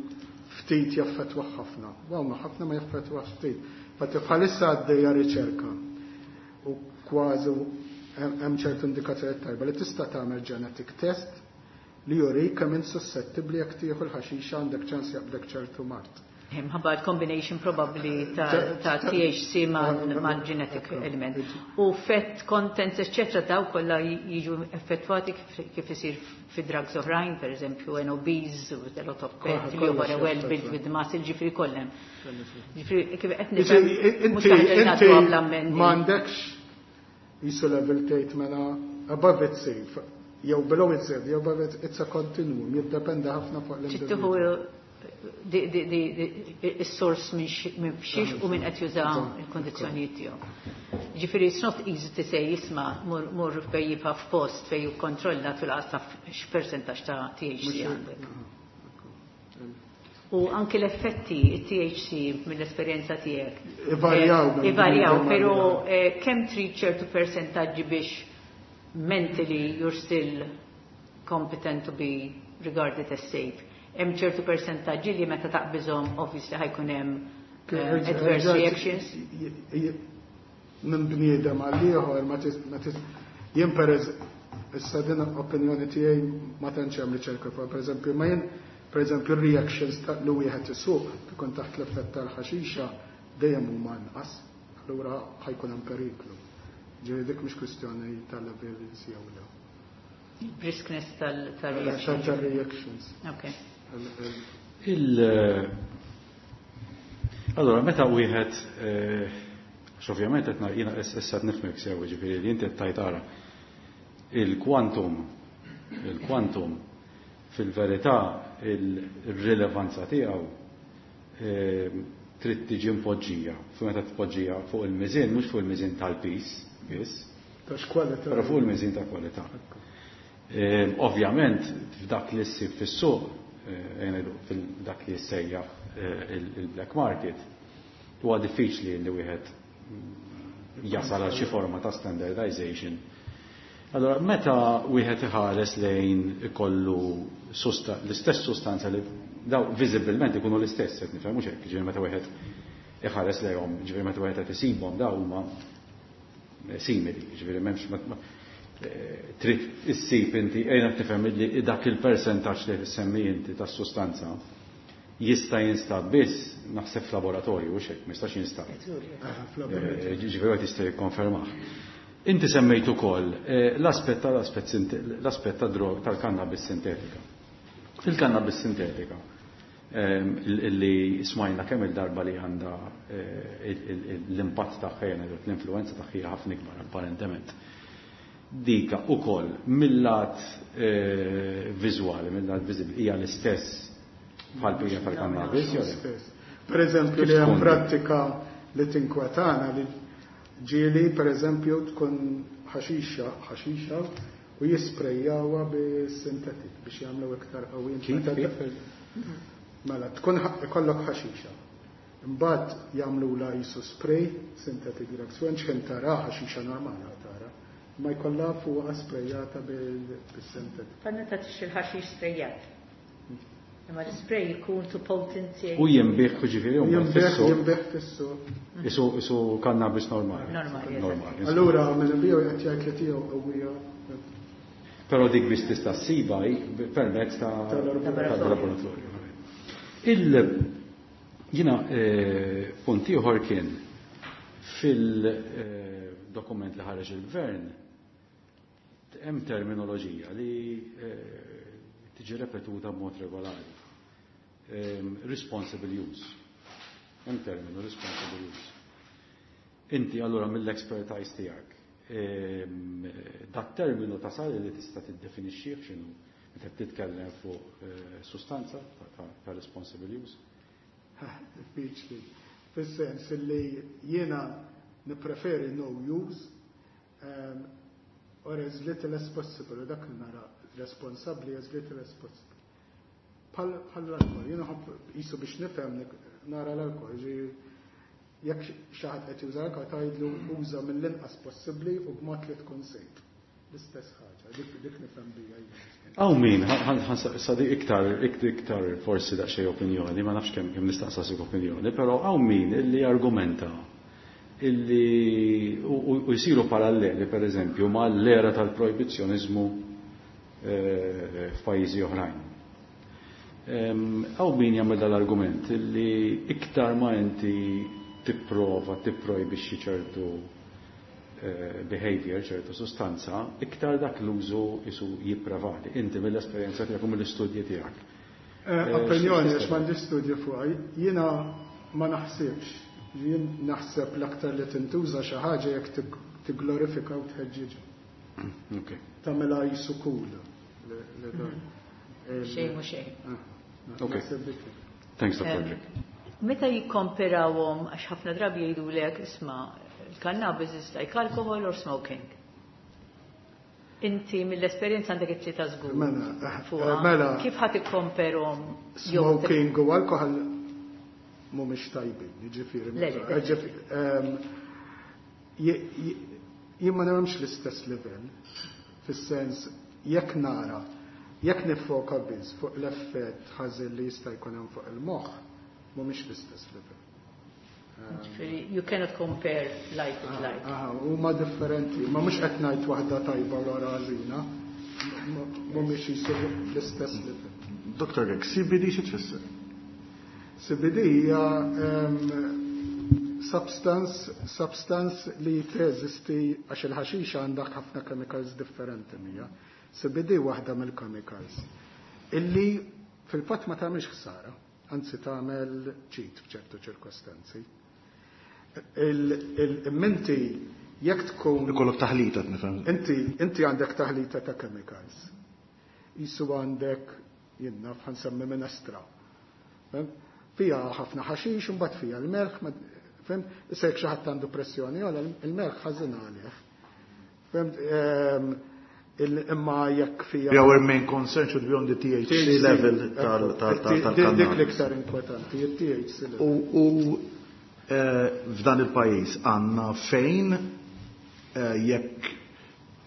ftit jaffettwa ħafna. U hawn ħafna ma jaffettwa ftit. Fatti bħalissa għaddejja riċerka u kważi hemm ċertu indikazzjoni tajba li tista' tagħmel genetic test li juri kemm int suscettibbli jekk tieħu l-ħaxixa għandek ċans jaqbdek ċertu mard. Mħabba combination probably ta' THC ma' genetic element. U fat contents, etc. daw kollha jiġu effettwati kif isir fi drugs oħrajn, per eżempju NOBs, with a lot of fat, li huwa well built with muscle, ġifieri kollha. Ġifieri kif qed nifhem mhux Inti m'għandekx jisu level tgħid mela above it's safe, jew below it's safe, jew above it, it's a continuum, jiddependa ħafna fuq l-individu. Is-sors minn xiex u minn qed juża il-kondizzjonijiet tiegħu. Ġifieri it's not easy to say isma' mur fej jibqa' f'post fej jikkontrolla fil-qas x'persentaġġ ta' THC għandek. U anki l-effetti THC mill-esperjenza tiegħek. Ivarjaw. Ivarjaw, però kemm trid ċertu persentaġġi biex mentally you're still competent to be regarded as safe. Hemm ċertu persentaġġi li meta taqbiżhom obviously ħajkun hemm adverse reactions. Minn bniedem għal ieħor ma jien pereż issa din opinjoni tiegħi ma tantx hemm riċerka fuq, pereżempju ma jien pereżempju reactions ta' li wieħed isuq ikun taħt l-effett tal-ħaxixa dejjem huma anqas, allura ħajkun hemm periklu. Ġifieri dik mhix kwistjoni tal-levels jew le. Briskness tal-reactions. Tal-reactions. Okay. Allora, meta wieħed, għax ovvjament qed jiena issa qed nifhmek sew, ġifieri li inti qed tgħid ara il-quantum fil-verità il-rilevanza tiegħu trid tiġi mpoġġija. Fu meta tpoġġija fuq il-miżien, mhux fuq il-miżien tal-pis biss, Tax kwalità. Però fuq il-miżien ta' kwalità. Ovvjament f'dak li ssib fis-suq, fil-dak li jissejjaħ il-black market, huwa diffiċli li wieħed jasal għal xi forma ta' standardization. Allora, meta wieħed iħares lejn ikollu l-istess sustanza li daw viżibilment ikunu l-istess, qed nifhem mhux hekk, ġifieri meta wieħed iħares lejhom, ġifieri meta wieħed qed isibhom daw huma simili, ġifieri m'hemmx trid issib inti, ejna tifhem li dak il-persentaġġ li semmi inti tas-sustanza jista' jinstab biss naħseb f'laboratorju, u hekk, ma jistax jinstab. Ġifieri wieħed jista' jikkonfermah. Inti semmejt ukoll l-aspett tal-aspett tad-drog tal-kannabis sintetika. Il-kannabis sintetika illi smajna kemm il-darba li għandha l-impatt tagħha, l-influenza tagħha hija ħafna ikbar apparentement. Dika ukoll mill-lat viżwali, mill-lat viżibbli hija l-istess bħal bija tal-kannabis, jew le? Per eżempju, li hemm prattika li tinkwetana li ġieli, per eżempju, tkun ħaxixa u jisprejjawha bis-sintetik biex jagħmlu iktar qawwin. Kif? Mela, tkun ikollok ħaxixa. Imbagħad jagħmlula jisu spray synthetic drugs. U x'ħin tara ħaxixa normali tara. Ma jkollha fuqha sprejjata bis-synthetic. Fanna ta' tixtri l-ħaxix sprejjat. Imma l-spray jkun too potent. U jinbih ġifieri u Jinbih, fissu. jinbih fissu. Isu kannabis normali. Normali, eżatt. Normali. Allura minn inbiju qed jgħid li tiegħu qawwija. Però dik biss tista' ssiba permezz Tal-laboratorju. tal-laboratorju. Jiena punt ieħor kien fil-dokument li ħareġ il-gvern hemm terminoloġija li tiġi repetuta b'mod regolari. Responsible use. Hemm terminu responsible use. Inti allura mill-expertise tiegħek, dat terminu tasal li tista' tiddefinixxih x'inhu meta titkellem fuq sustanza ta' responsible use? Diffiċli. Fis-sens li jiena nippreferi no use, or as little as possible, dak li nara responsabli as little as possible. Bħal l-alkohol, jiena ħobb jisu biex nifhem nara l-alkohol, ġi jekk xi ħadd qed juża l-alkohol tgħidlu uża mill-inqas possibbli u b'mod li tkun safe. L-istess ħaġa, dik nifhem bija jien. Aw min, sadi iktar forsi daqsxejn opinjoni, ma nafx kemm nistaqsasik opinjoni, però hawn min illi argumenta illi u jsiru paralleli per eżempju ma l-era tal-projbizzjonizmu f'pajjiżi oħrajn. Hawn min jagħmel dal-argument li iktar ma inti tipprova tipprojbixxi ċertu behavior, ċertu sustanza, iktar dak l-użu isu jipprevali. Inti mill-esperjenza tiegħek u mill-istudji tiegħek. Opinjoni, għax m'għandix studji fuqha, jiena ma naħsibx. Jien naħseb l-aktar li tintuża xi ħaġa jekk tigglorifika u tħeġġiġha. Tagħmilha jisu cool. Xejn mhu xejn. Thanks, Dr. Grech. Meta jikkomperawhom, għax ħafna drabi jgħidulek, isma' il-cannabis is like alcohol or smoking. Inti mill-esperjenza għandek it-tlieta żgur. Mela, mela. Kif ħadd ikkomperhom? Smoking u alcohol mhumiex tajbin, jiġifieri. Jien ma nagħmx l-istess livell, fis-sens jekk nara, jekk nifoka biss fuq l-effett ħażin li jista' jkun hemm fuq il-moħħ, mhumiex l-istess livell. You cannot compare like with like. Huma differenti, ma mhux qed ngħid waħda tajba u l-oħra ħażina, mhumiex jisiru l-istess livell. Dr. Grech, CBD xi tfisser? CBD hija substance li teżisti għax il-ħaxixa għandek ħafna chemicals differenti mija. CBD waħda mill-chemicals illi fil-fatt ma tagħmilx ħsara, anzi tagħmel ġid f'ċertu ċirkostanzi. Il-minti jekk tkun Ikollok taħlita nifhem. Inti għandek taħlita ta' chemicals. Jisu għandek jien naf ħansemmi minestra. Fija ħafna ħaxix, imbagħad fija l-melħ, fem? Issa jekk xi ħadd għandu pressjoni, għala il-melħ ħażin għalih. Fem? Imma jekk fija. Our main concern should be on the THC level tal-cannabis. Dik l-iktar inkwetanti, il-THC level. U f'dan il-pajjiż għandna fejn jekk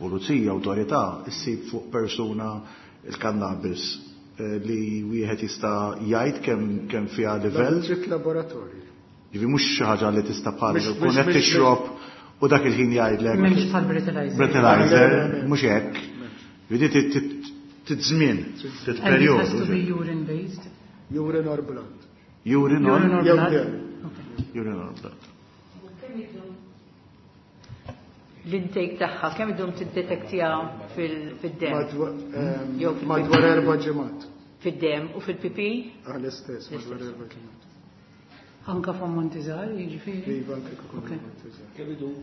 pulizija, awtorità issib fuq persuna il-cannabis li wieħed jista' jgħid kemm fiha livell. Trid laboratorju. Jiġifieri mhux xi ħaġa li tista' bħal tkun qed tixrob u dak il-ħin jgħidlek. M'hemmx bħal breathalyzer. Breathalyzer, mhux hekk. Jiġifieri titżmien, And it perjodu. has to be urine based. Urine or blood. Urine or Urine or blood. Urine or blood. L-intake tagħha kemm idum tiddetektja fid-dem? Jew fil-pipi? Madwar 4 ġimgħat. Fid-dem u fil-pipi? L-istess, madwar 4 ġimgħat. Anka f'ammonti żgħar, jiġifieri? Iva, anke kif ammonti żgħar. Kemm idum?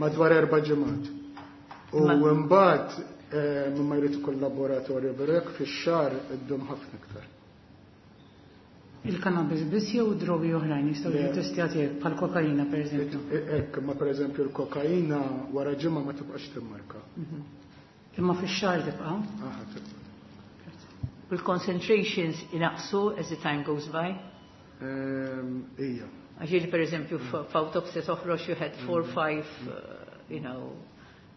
Madwar 4 ġimgħat. U mbagħad ma jrid ikun laboratorju berek fix-xahar iddum ħafna iktar. Il-cannabis biss jew drogi oħrajn jistgħu jiġu testjati hekk bħal kokaina pereżempju. Hekk, imma pereżempju l-kokaina wara ġimgħa ma tibqax timmarka. Imma fix-xahar tibqa'? Aha, tibqa'. Il-concentrations inaqsu as the time goes by? Ija. Għax jiġi pereżempju f'autopsy toħroġ you had 4, 5, you know.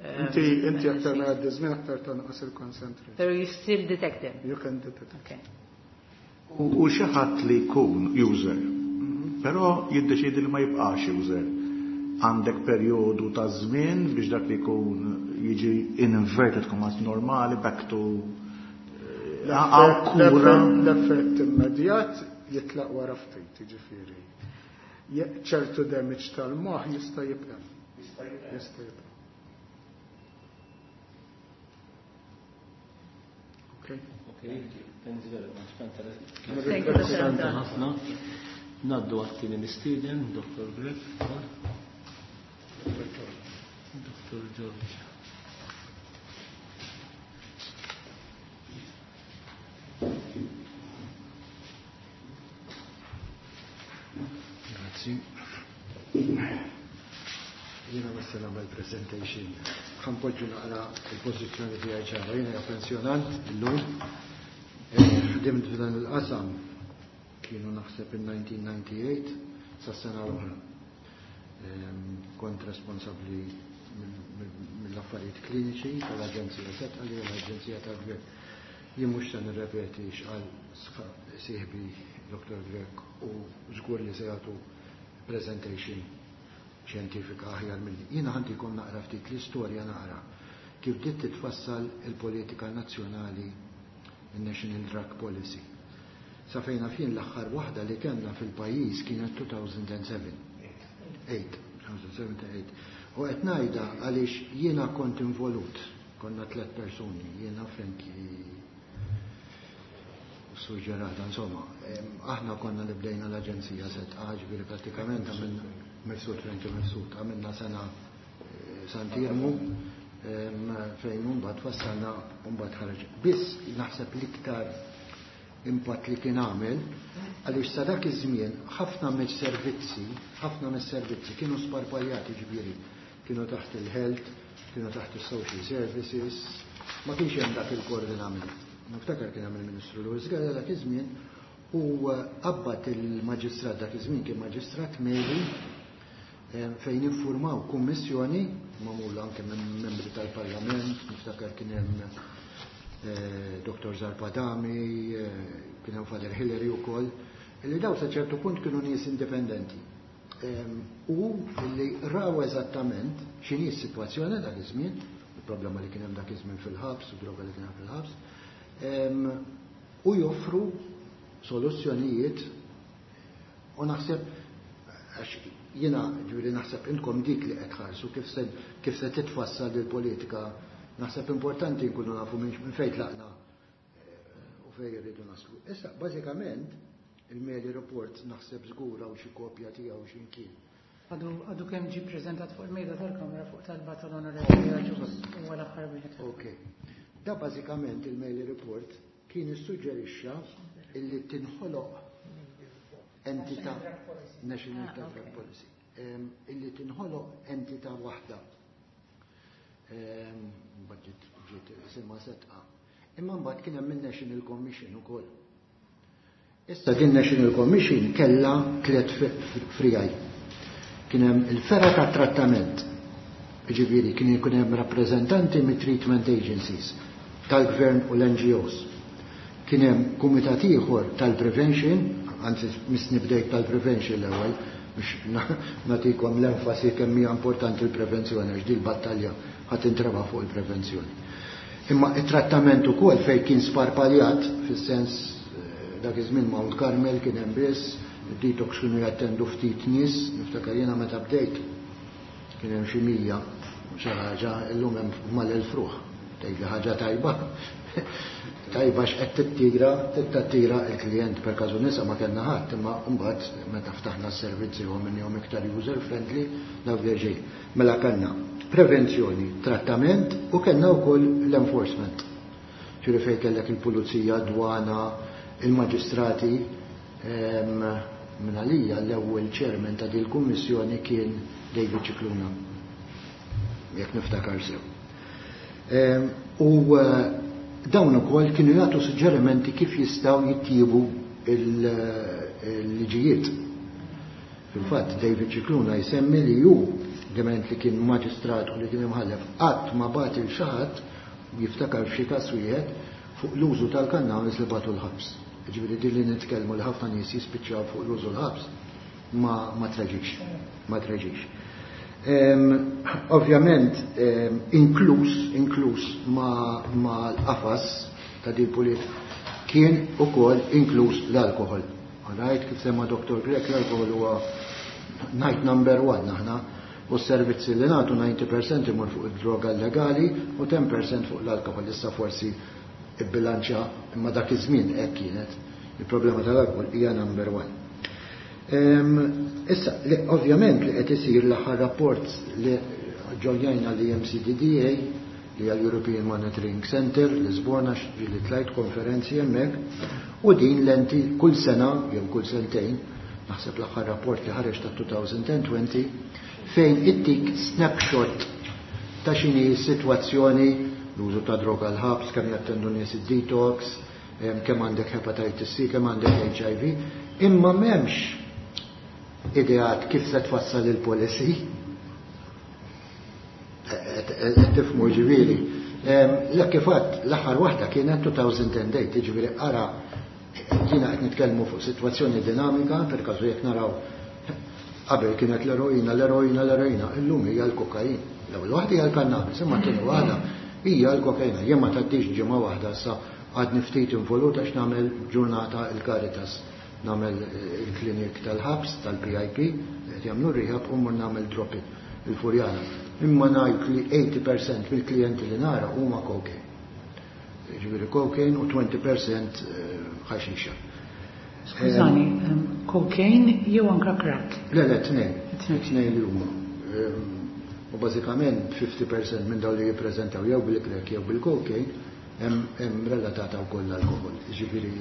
Inti aktar ma jgħaddi żmien aktar tonqos il-concentration. Pero you still detect them? You can detect. Okay. U xi ħadd li jkun user, però jiddeċiedi li ma jibqax user. Għandek perjodu ta' żmien biex dak li jkun jiġi in inverted commas normali back to għaw kura. L-effett immedjat jitlaq wara ftit, jiġifieri. Ċertu damage tal-moħħ jista' jibqa'. Jista' jibqa'. Jista' jibqa'. Okay. Okay, thanks very much. Thank you, Interessanti Dr. ħafna. Naddu għat-tieni mistieden, Dr. Grech. Dr. George. Grazzi. Jiena ma se nagħmel presentation. Ħanpoġġu naqra il-pożizzjoni tiegħi ċara. Jiena pensjonant illum. Ħdimt f'dan il-qasam kienu naħseb in 1998 sas-sena l-oħra. Kont responsabbli mill-affarijiet kliniċi tal-Aġenzija Sedqa li hija l-Aġenzija tal-Gvern. Jien mhux se nirrepeti x'qal sieħbi Dr. Grech u żgur li se jagħtu presentation xjentifika aħjar minni. Jiena ħantikom naqra ftit l-istorja naqra kif bdiet titfassal il-politika nazzjonali, il-National Drug Policy. Sa fejn naf jien l-aħħar waħda li kellna fil-pajjiż kienet 2007. 8, 2007-8. U qed ngħidha għaliex jiena kont involut, konna tlet persuni, jiena, Frankie u Sur Ġerada, insomma, aħna konna li bdejna l-Aġenzija Sedqa, ġifieri prattikament għamilna Mifsud, Frankie Mifsud, għamilna sena Sant'Iermu fejn mbagħad fassalna u mbagħad ħareġ. Biss naħseb l-iktar impatt li kien għamel għaliex sa dak iż-żmien ħafna mis-servizzi, ħafna mis-servizzi kienu sparpaljati, ġifieri kienu taħt il-health, kienu taħt il-social services, ma kienx hemm dak il-koordinament. Niftakar kien hemm il-Ministru Louis Galea dak iż-żmien u qabbat il-maġistrat dak iż-żmien kien maġistrat Meli fejn iffurmaw kummissjoni magħmula anke minn membri tal-Parlament, niftakar kien hemm Dr. Zarpadami, kien hemm Father Hillary wkoll, illi daw sa ċertu punt kienu nies indipendenti. U illi raw eżattament x'inhi s-sitwazzjoni dak iż-żmien, il-problema li kien hemm dak iż-żmien fil-ħabs, u droga li kien hemm fil-ħabs, u joffru soluzzjonijiet. U naħseb għax jiena ġifieri naħseb intkom dik li qed tħarsu kif se titfassal il-politika, naħseb importanti nkunu nafu minn fejn tlaqna u fejn irridu naslu. Issa, bażikament, il-Meli Report naħseb żgur hawn xi kopja tiegħu xi mkien. Għadu kemm ġie preżentat fuq il-mejda tal-Kamra fuq talba tal-Onorevoli Agius u l-aħħar wieħed. Ok. Da bażikament il-Meli Report kien issuġġerixxa illi tinħoloq entità National Drug Policy. Illi tinħoloq entità waħda. Mbagħad ġiet isimha Sedqa. Imma mbagħad kien hemm il-National Commission ukoll. Issa din National Commission kellha tliet frijaj. Kien hemm il-fergħa ta' trattament. Ġifieri kien ikun hemm rappreżentanti mit-treatment agencies tal-gvern u l-NGOs. Kien hemm kumitat ieħor tal-prevention, anzi misni bdejt tal-prevention l-ewwel biex nagħtikom l-enfasi kemm hija importanti l-prevenzjoni għax din battalja ħadd intreba fuq il-prevenzjoni. Imma it-trattament ukoll fejn kien sparpaljat, fis-sens dak iż-żmien Mount Carmel kien hemm biss, id-detox kienu jattendu ftit nies, niftakar jiena meta bdejt kien hemm xi 100 xi ħaġa, illum hemm mal-1000 ruħ. Tgħid li ħaġa tajba. Tajba x'qed tittira il-klient per każu nisa ma kellna ħadd, imma mbagħad meta ftaħna s-servizzi u minnhom iktar user friendly dawk li ġej. Mela kellna prevenzjoni, trattament u kellna wkoll l-enforcement. Ġifieri fejn kellek il-pulizija, dwana, il-maġistrati, minn għalija l-ewwel chairman ta' din il-kummissjoni kien David Scicluna, jekk niftakar sew. U dawn ukoll kienu jagħtu suġġerimenti kif jistgħu jittiebu il-liġijiet. Fil-fatt David Scicluna jsemmi li hu diment li kien maġistrat u li kien imħallef qatt ma bagħat il xi ħadd jiftakar f'xi każ wieħed fuq l-użu tal-kannabis li bagħtu l-ħabs. Ġifieri din li nitkellmu li ħafna nies jispiċċaw fuq l-użu l-ħabs ma treġix, ma treġix. Ovvjament, inkluż ma l-qafas ta' din politika kien ukoll inkluż l-alkohol. Alright, kif semma Dr. Grech, l-alkohol huwa night number 1 aħna, u s-servizzi li nagħtu 90% imur fuq id-droga legali u 10% fuq l-alkohol. Issa forsi ibbilanċa, imma dak iż-żmien hekk kienet. Il-problema tal-alkohol hija number 1. Issa, li, ovvjament li qed isir l-aħħar rapport li ġojjajna li MCDDA, li hija l-European Monitoring Center, Lisbona, ġieli tlajt konferenzi hemmhekk, u din l-enti kull sena jew kull sentejn, naħseb l-aħħar rapport li ħareġ ta' 2020, fejn ittik snapshot ta' x'inhi s-sitwazzjoni, l-użu ta' droga l-ħabs, kemm jattendu nies id-detox, kemm għandek hepatitis C, kemm għandek HIV, imma m'hemmx ideat kif se tfassal il-policy. Qed tifhmu ġifieri. L kif għadt, l-aħħar waħda kienet 2008, ġifieri ara jiena qed nitkellmu fuq sitwazzjoni dinamika, per każu jekk naraw qabel kienet l-eroina, l-eroina, l-eroina, illum hija l-kokain. L-ewwel waħda hija l-kannabis, imma t-tieni waħda hija l-kokaina. Jien ma tgħaddix ġimgħa waħda sa Għadni ftit involut għax nagħmel ġurnata il-Caritas, nagħmel il-klinik tal-ħabs, tal-PIP, qed jagħmlu rehab u mmur nagħmel drop-in il-Furjana. Imma ngħid li 80% mill-klijenti li nara huma cocaine. Ġifieri cocaine u 20% ħaxixa. Skużani, cocaine jew anka crack? Le, le, tnejn. Tnejn li huma. U bażikament 50% minn dawn li jippreżentaw jew bil-crack jew bil-cocaine hemm relatata wkoll l-alkohol. Ġifieri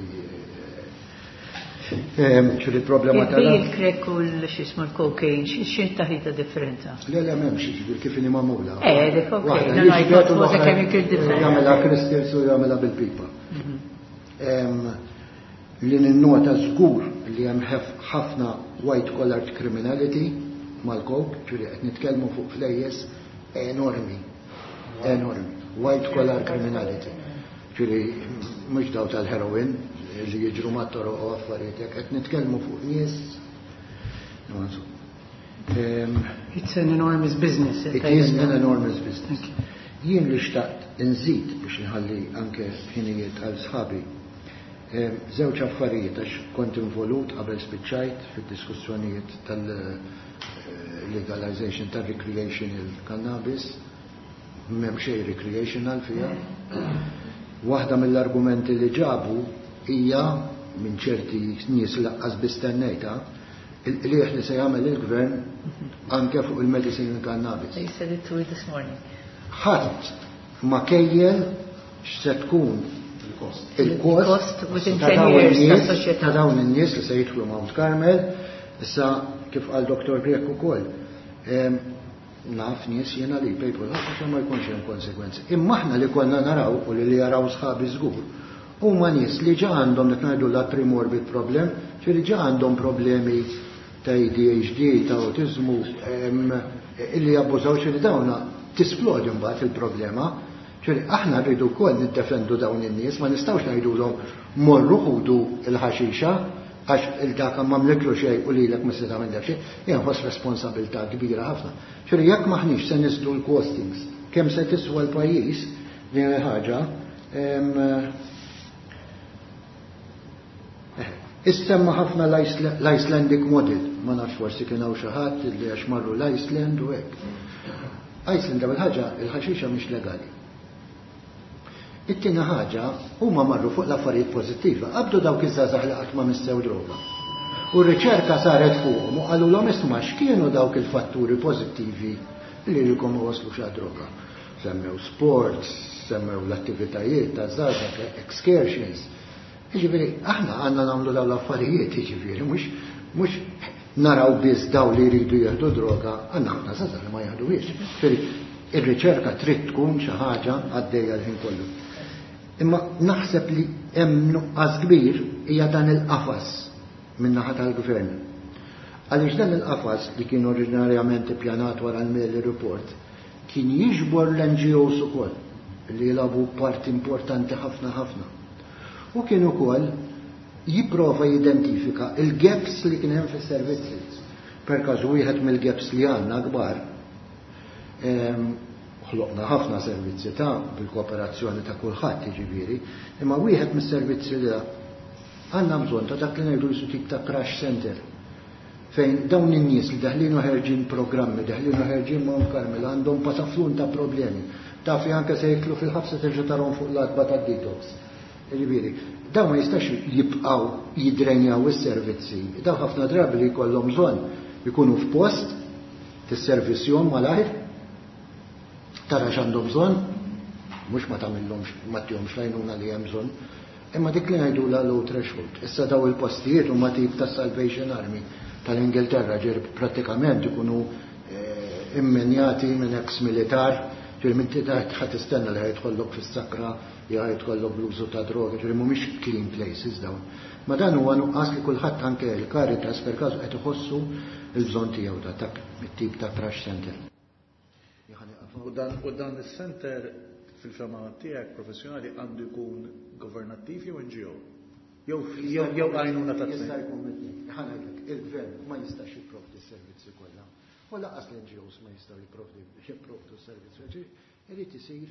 ċuri problema tal Il-crack u l-xismu l-cocaine, xi taħlita differenza? Le, le, m'hemmx, ġifieri kif inhi magħmula. Dik cocaine, no, I thought it was a chemical difference. Jagħmilha crystals u jagħmilha bil-pipa. Li ninnota żgur li hemm ħafna white collar criminality mal-coke, ġifieri qed nitkellmu fuq flejjes enormi, enormi, white collar criminality. Ġifieri mhux daw tal-heroin li jiġru mat-toroq u affarijiet hekk, qed nitkellmu fuq nies. It's an enormous business. It is an enormous business. Jien li xtaqt nżid biex nħalli anke ħinijiet għal sħabi. Żewġ affarijiet għax kont involut qabel spiċċajt fid-diskussjonijiet tal-legalization tal-recreational cannabis, m'hemm xejn recreational fiha. Waħda mill-argumenti li ġabu hija minn ċerti nies laqqas bistennejta il-qliħ li se jagħmel il-gvern anke fuq il-medicinal cannabis. They said it to me this morning. Ħadd ma kejjel x'se tkun il-kost within 10 years tas-soċjetà. ta' dawn in-nies li se jidħlu Mount Carmel, issa kif qal Dr. Grech ukoll. Naf nies jiena li jpejpu għax ma jkunx hemm konsekwenzi. Imma aħna li konna naraw u li jaraw sħabi żgur, huma nies li ġa għandhom qed ngħidu la premorbid problem, ġifieri ġa għandhom problemi ta' ADHD, ta' autizmu, illi jabbużaw xi dawna tisplodi mbagħad il-problema. Ġifieri aħna rridu wkoll niddefendu dawn in-nies, ma nistgħux ngħidulhom morru ħudu l-ħaxixa għax il-dak ma mliklu xejn u lilek ma se tagħmel xejn, jien nħoss responsabilità kbira ħafna. Ġifieri jekk maħniex se nisdu l-costings, kemm se tiswa l-pajjiż din il-ħaġa, issemma ħafna l-Icelandic model, ma nafx forsi kien hawn xi ħadd li għax marru l-Iceland u hekk. Iceland ewwel ħaġa il-ħaxixa mhix legali. It-tieni ħaġa huma marru fuq l-affarijiet pożittiva, qabdu dawk iż-żgħażagħ li qatt ma missew droga. U r-riċerka saret fuqhom u qalulhom isma' x'kienu dawk il-fatturi pożittivi li lilkom ma waslux għad-droga. Semmew sports, semmew l-attivitajiet ta' żgħażagħ, excursions. Jiġifieri aħna għandna nagħmlu dawn l-affarijiet, jiġifieri mhux naraw biss daw li jridu jieħdu droga, għandna ħafna żgħażagħ li ma jieħduhiex. Jiġifieri ir-riċerka trid tkun xi ħaġa għaddejja l-ħin kollu. Imma naħseb li hemm nuqqas kbir hija dan il-qafas min-naħa tal-gvern. Għaliex dan il-qafas li kien oriġinarjament ippjanat wara l-Meli Report kien jiġbor l-N G Os ukoll li jilagħbu parti importanti ħafna ħafna. U kien ukoll jipprova jidentifika il-gaps li kien hemm fis-servizzi. Per każu wieħed mill-gaps li għandna kbar, ħloqna ħafna servizzi ta' bil-kooperazzjoni ta' kulħadd jiġifieri, imma wieħed mis-servizzi li għandna bżonn ta' dak li ngħidu jisu tip ta' crash center fejn dawn in-nies li daħlin u ħerġin programmi, daħlin u ħerġin Mount Carmel għandhom pataflun ta' problemi. Taf li anke se jitlu fil-ħabsa terġa' tarhom fuq l-għatba tad-detox. Jiġifieri, dawn ma jistax jibqgħu jidrenjaw is-servizzi. Dawn ħafna drabi li jkollhom bżonn ikunu f'post tisservissjhom malajr, tara x'għandhom bżonn, mhux ma tagħmilhomx, ma tihomx l-għajnuna li hemm bżonn, imma dik li ngħidu la low threshold. Issa daw il-postijiet huma tip ta' Salvation Army tal-Ingilterra, ġieri prattikament ikunu immenjati minn ex-militar, ġieri minn ħadd tistenna li ħajtkollok fis-sakra, jew ħajtkollok bl-użu ta' droga, ġieri mhumiex clean places dawn. Ma dan huwa nuqqas li kulħadd anke l-Caritas per każu qed iħossu l-bżonn tiegħu ta' dak it-tip ta' crash center. U dan is-center fil-fema tiegħek professjonali għandu jkun governattiv jew NGO? Jew għajnuna ta' Jista' tnejn? jkun mit-tnejn. Ħa ngħidlek, il-gvern ma jistax jipprovdi s-servizzi kollha. U lanqas l-N G Os ma jistgħu jipprovdu s-servizzi. Ġifieri, irid isir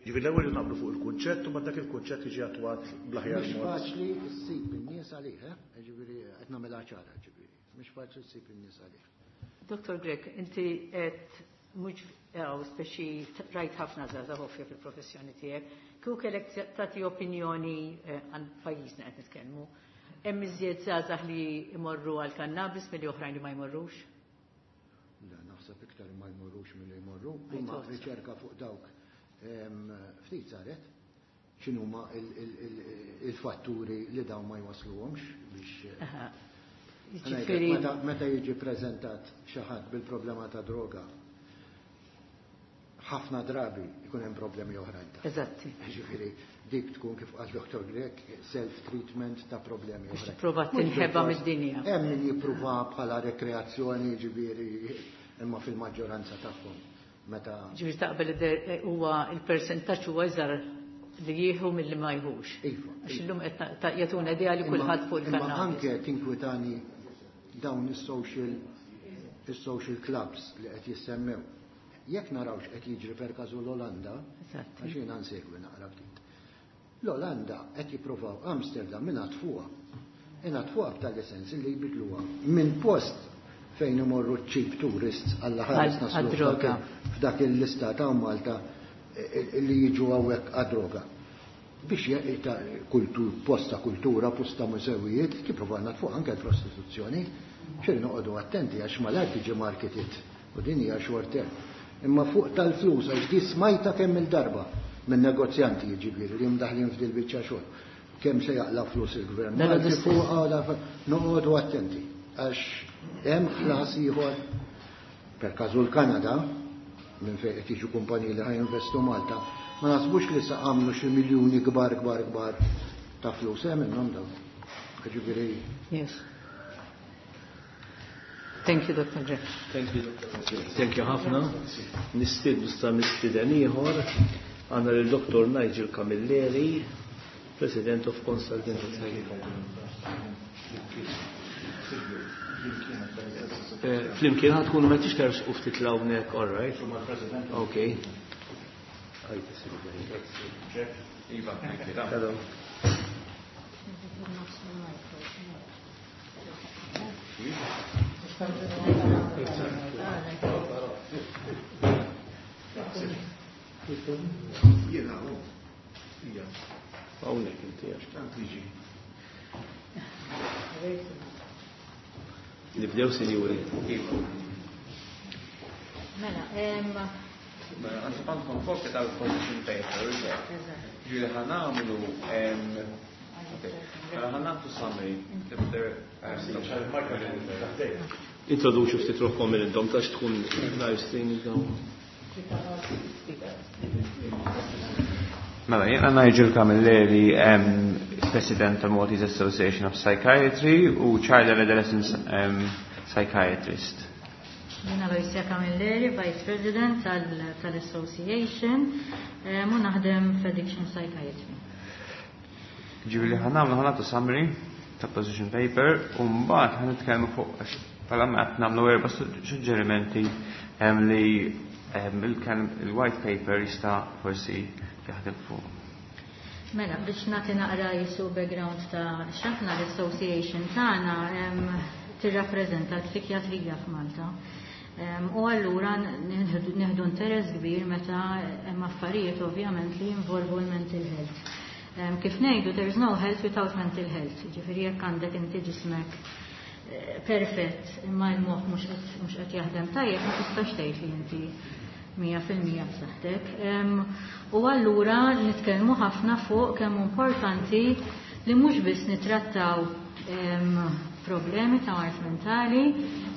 Ġifieri l-ewwel naqblu fuq il-kunċett u dak il-kunċett jiġi attwat bl-aħjar Mhux mod. faċli ssib in-nies għalih, eh? Ġifieri qed nagħmilha ċara, ġifieri. Mhux faċli ssib in-nies għalih. Dr. Grech, inti qed mhux għaw speċi rajt ħafna żgħażagħ ovvja fil-professjoni tiegħek. Kieku kellek tagħti opinjoni għan pajjiżna qed nitkellmu. Hemm iżjed żgħażagħ li jmorru għal kannabis milli oħrajn li ma jmorrux? Le, naħseb iktar ma jmorrux milli jmorru. I Imma thought so. riċerka fuq dawk ftit saret x'inhuma il-fatturi li dawn ma jwasluhomx biex Ngħidlek, Jiġifieri meta jiġi preżentat xi ħadd bil-problema ta' droga, ħafna drabi jkun hemm problemi oħrajn ta' Eżatti. Ġifieri dik tkun kif qal Dr. Grech self-treatment ta' problemi Biex oħrajn. tipprova Mhux tinħeba bil-fors, mid-dinja. Hemm min jippruva bħala rekreazzjoni, ġifieri, imma fil-maġġoranza tagħhom meta Ġifieri taqbel huwa il-persentaġġ huwa iżgħar li jieħu milli ma jħux. Iva, Għax illum qed jagħtuna idea li kulħadd fuq Imma il-kannabis. anke tinkwitani dawn is-social clubs li qed jissemmew. Jekk narawx qed jiġri per każu l-Olanda, għax jiena nsegwi naqra ftit. L-Olanda qed jippruvaw Amsterdam minn għatfuha. Ingħatfuha b'tali sens li jbidluha minn post fejn imorru cheap tourists għall ħares naslu Għad-droga. f'dak il-lista ta' Malta li jiġu hawnhekk għad-droga. Biex ta' kultur, post ta' kultura, post ta' mużewijiet, jipprovaw natfuq anke l-prostituzzjoni, ċir noqogħdu attenti għax malajr tiġi marketed u din hija short term. Imma fuq tal-flus għax di smajta kemm il-darba minn negozjanti jiġifieri li mdaħlin f'dil biċċa xogħol. Kemm se jaqla' flus il-gvern. Mela Malti l-istess. fuq għala noqogħdu attenti għax hemm ħlas ieħor per każu l-Kanada minn fejn qed jiġu kumpaniji li ħajinvestu Malta, ma nasbux li sa għamlu xi miljuni kbar kbar kbar ta' flus hemm minnhom dawn. Ġifieri Yes. Thank you, Dr. Grech. Thank you, Dr. Grech. Thank you ħafna. Nistiednu sta mistieden ieħor għandna lil Dr. Nigel Camilleri, President of Consultant. Flimkien ħad tkunu ma tix u ftit hawnhekk, all right? Okay. Iva, thank you. Hello. Jiena, oh. Ija. Hawnhekk inti għax. Tant liġi. Nibdew sinjuri. Iva. Mela, Mela, għandkom kopja tal-position paper, Eżatt. Ġifieri ħa nagħmlu, mela ħa nagħtu summary. Introduċu ftit ruħkom minn intom tax tkun live stream dawn. Mela, jiena Nigel Camilleri, President tal-Maltese Association of Psychiatry u Child and Adolescent Psychiatrist. Jiena Aloysia Camilleri, Vice President tal-Association, u naħdem f'Addiction Psychiatry. Ġifieri ħa nagħmlu ħa nagħtu summary ta' position paper u mbagħad ħa nitkellmu fuq għax bħala qed nagħmlu erba' suġġerimenti li il-white paper jista' forsi jaħdem fuq. Mela, biex nagħti naqra jisu background ta' x'aħna l-association tagħna tirrappreżenta l-psikjatrija f'Malta. U allura nieħdu interess kbir meta hemm affarijiet ovvjament li jinvolvu l-mental health. Kif ngħidu, there is no health without mental health. Ġifieri jekk għandek inti ġismek perfett imma l-moħħ mhux qed jaħdem tajjeb, ma tistax tgħid li inti mija fil-mija b'saħħtek. U allura nitkellmu ħafna fuq kemm hu importanti li mhux biss nittrattaw problemi ta' mard mentali,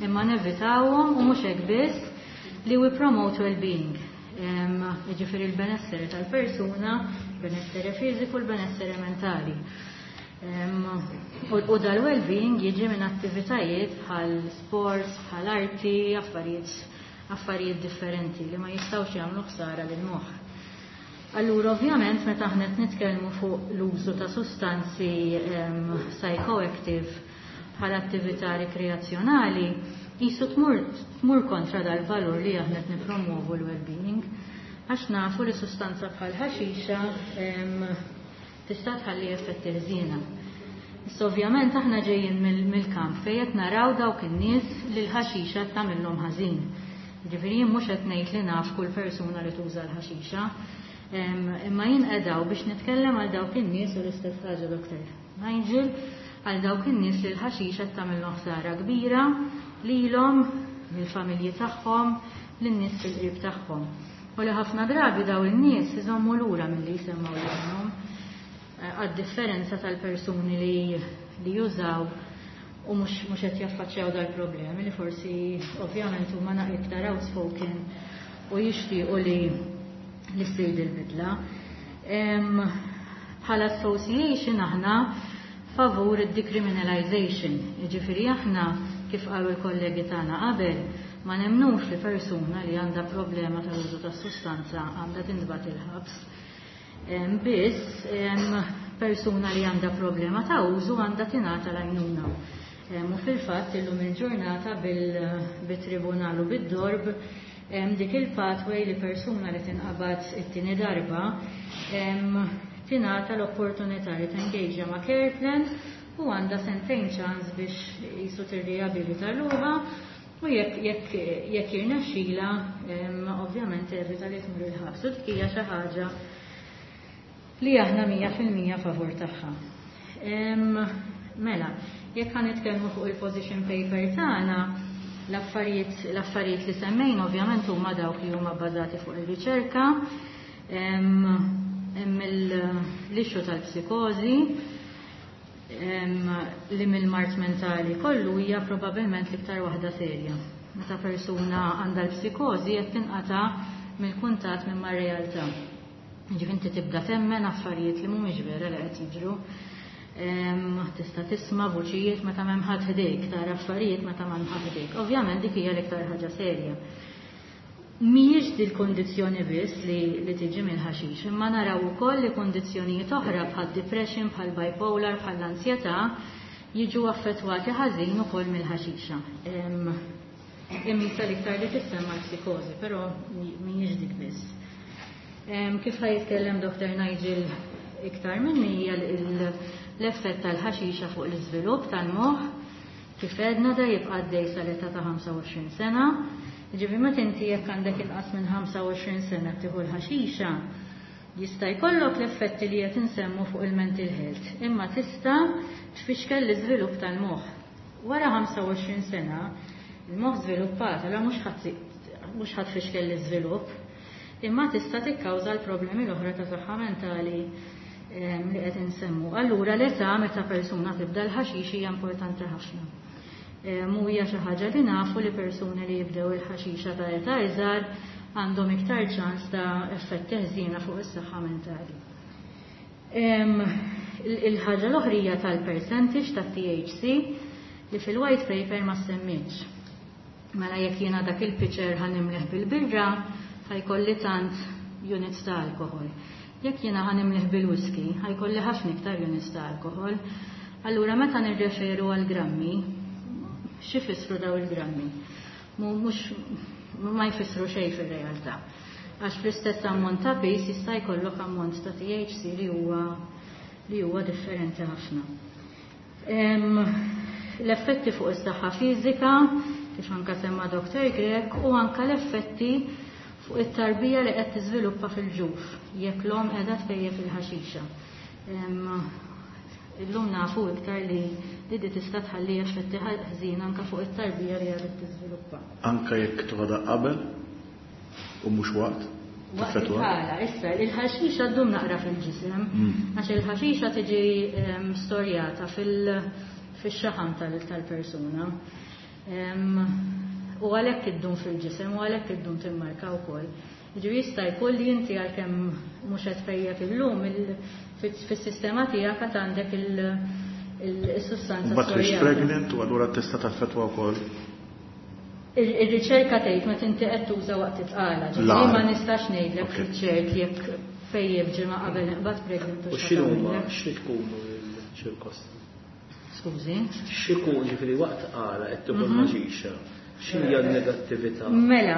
imma nevitawhom u mhux hekk biss li we promote well-being. Jiġifieri l-benessere tal-persuna, benessere fiżiku, l-benessere mentali. U dal-well-being jiġi minn attivitajiet bħal sports, bħal arti, affarijiet differenti li ma jistgħux jagħmlu ħsara lil moħħ. Allura ovvjament meta aħna qed nitkellmu fuq l-użu ta' sustanzi psychoactive bħala attività rekreazzjonali, jisu tmur kontra dal-valur li aħna qed nippromovu l-well-being. Għax nafu li sustanza bħal ħaxixa tista' tħalli effetti ħżiena. Issa ovvjament aħna ġejjin mill-kamp fejn qed naraw dawk in-nies li l-ħaxixa qed tagħmilhom ħażin. Ġifieri jien mhux qed ngħid li naf kull persuna li tuża l-ħaxixa, imma jien qedaw biex nitkellem għal dawk in-nies u l-istess ħaġa Dr. Nigel, għal dawk in-nies li l-ħaxixa qed tagħmilhom ħsara kbira lilhom, lill-familji tagħhom, lin-nies fil-qrib tagħhom. U li ħafna drabi daw in-nies iżommu lura milli jsemmgħu leħinhom għad-differenza tal-persuni li jużaw u mhux qed jaffaċċjaw dal-problemi li forsi ovvjament huma naqra iktar outspoken u jixtiequ li ssir dil-bidla. Bħala association aħna favur id-decriminalization, jiġifieri aħna kif qalu l-kollegi tagħna qabel ma nemnux li persuna li għandha problema tal-użu tas-sustanza għandha tintbagħat il-ħabs. Biss persuna li għandha problema ta' użu għandha tingħata l-għajnuna. U fil-fatt illum il-ġurnata bil-tribunal u bid-DORB dik il-pathway li persuna li tinqabad it-tieni darba tingħata l-opportunità li tengagea ma' care plan u għandha sentejn ċans biex jisu tirriabilita ruħha u jekk jirnexxila ovvjament evita li tmur il-ħabs. U dik hija xi ħaġa li aħna 100% favur tagħha. Mela, jekk ħa nitkellmu fuq il-position paper tagħna, l-affarijiet li semmejna ovvjament huma dawk li huma bbażati fuq ir-riċerka, hemm l-issue tal-psikożi, li mill-mard mentali kollu hija probabbilment l-iktar waħda serja. Meta persuna għandha l-psikożi qed tinqata' mill-kuntatt minn mar-realtà. Ġifieri inti tibda temmen affarijiet li mhumiex vera li qed jiġru. Tista' tisma' vuċijiet meta m'hemm ħadd ħdejk, tara affarijiet meta m'hemm ħadd ħdejk. Ovvjament dik hija l-iktar ħaġa serja. Mhijiex din il-kondizzjoni biss li tiġi mill-ħaxix, imma naraw ukoll li kondizzjonijiet oħra bħal depression, bħal bipolar, bħal ansjetà jiġu affettwati ħażin ukoll mill-ħaxixa. Imma l-iktar li tissemma l-psikożi, però mhijiex dik biss. Kif ħa jitkellem Dr. Nigel iktar minni hija l-effett tal-ħaxixa fuq l-iżvilupp tal-moħħ, kif għedna da jibqa' għaddej sal-età ta' 25 sena. Ġifieri meta inti jekk għandek inqas minn 25 sena tieħu l-ħaxixa, jista' jkollok l-effetti li qed insemmu fuq il-mental health, imma tista' tfixkel l-iżvilupp tal-moħħ. Wara 25 sena, il-moħħ żviluppat, allura mhux ħadd tfixkel l-iżvilupp, imma tista' tikkawża l-problemi l-oħra ta' saħħa mentali li qed insemmu. Allura l-età meta persuna tibda l-ħaxix hija importanti ħafna. Mu hija xi ħaġa li nafu li persuni li jibdew il-ħaxixa ta' età iżgħar għandhom iktar ċans ta' effetti ħżiena fuq is-saħħa mentali. Il-ħaġa l-oħra hija tal-percentage tat-THC li fil-white paper ma semmitx. Mela jekk jiena dak il-pitcher ħa nimlih bil-birra, ħa jkolli tant units ta' alkohol. Jekk jiena ħa nimlih bil-whisky, ħa jkolli ħafna iktar units ta' alkohol. Allura meta nirreferu għal grammi, x'ifissru daw il-grammi? Mhux ma jfissru xejn fir-realtà. Għax fl-istess ammont ta' piż jista' jkollok ammont ta' THC li huwa differenti ħafna. L-effetti fuq is-saħħa fiżika, kif anka semma Dr. Grech, u anka l-effetti fuq it-tarbija li qed tiżviluppa fil-ġuf, jekk l-omm qiegħda tpejjep il-ħaxixa. Illum nafu iktar li di tista' tħalli effetti ħażin anka fuq it-tarbija li qiegħda tiżviluppa. Anka jekk toħodha qabel u mhux waqt? Waqt Teffettwa? il-ħala, issa, il-ħaxixa ddum naqra fil-ġisem, għax il-ħaxixa tiġi storjata fil-xaħam tal-persuna. U għalhekk iddum fil-ġisem u għalhekk iddum timmarka wkoll. Ġifieri jista' jkun li inti għalkemm mhux qed tpejjep illum fis-sistema tiegħek għad għandek il-sustanza Mbagħad mhix storjata. pregnant u allura tista' taffettwa wkoll. Ir-riċerka tgħid meta inti qed tuża waqt it-tqala, ġifieri La. ma nistax ngħidlek fiċ-ċert jekk fejjeb ġimgħa qabel nqbad pregnant u U x'inhuma x'tagħmel. xi tkunu l-ċirkostanzi? Skużi? X'ikun ġifieri waqt tqala qed tieħu l-ħaxixa? X'inhi l-negattività? Mela,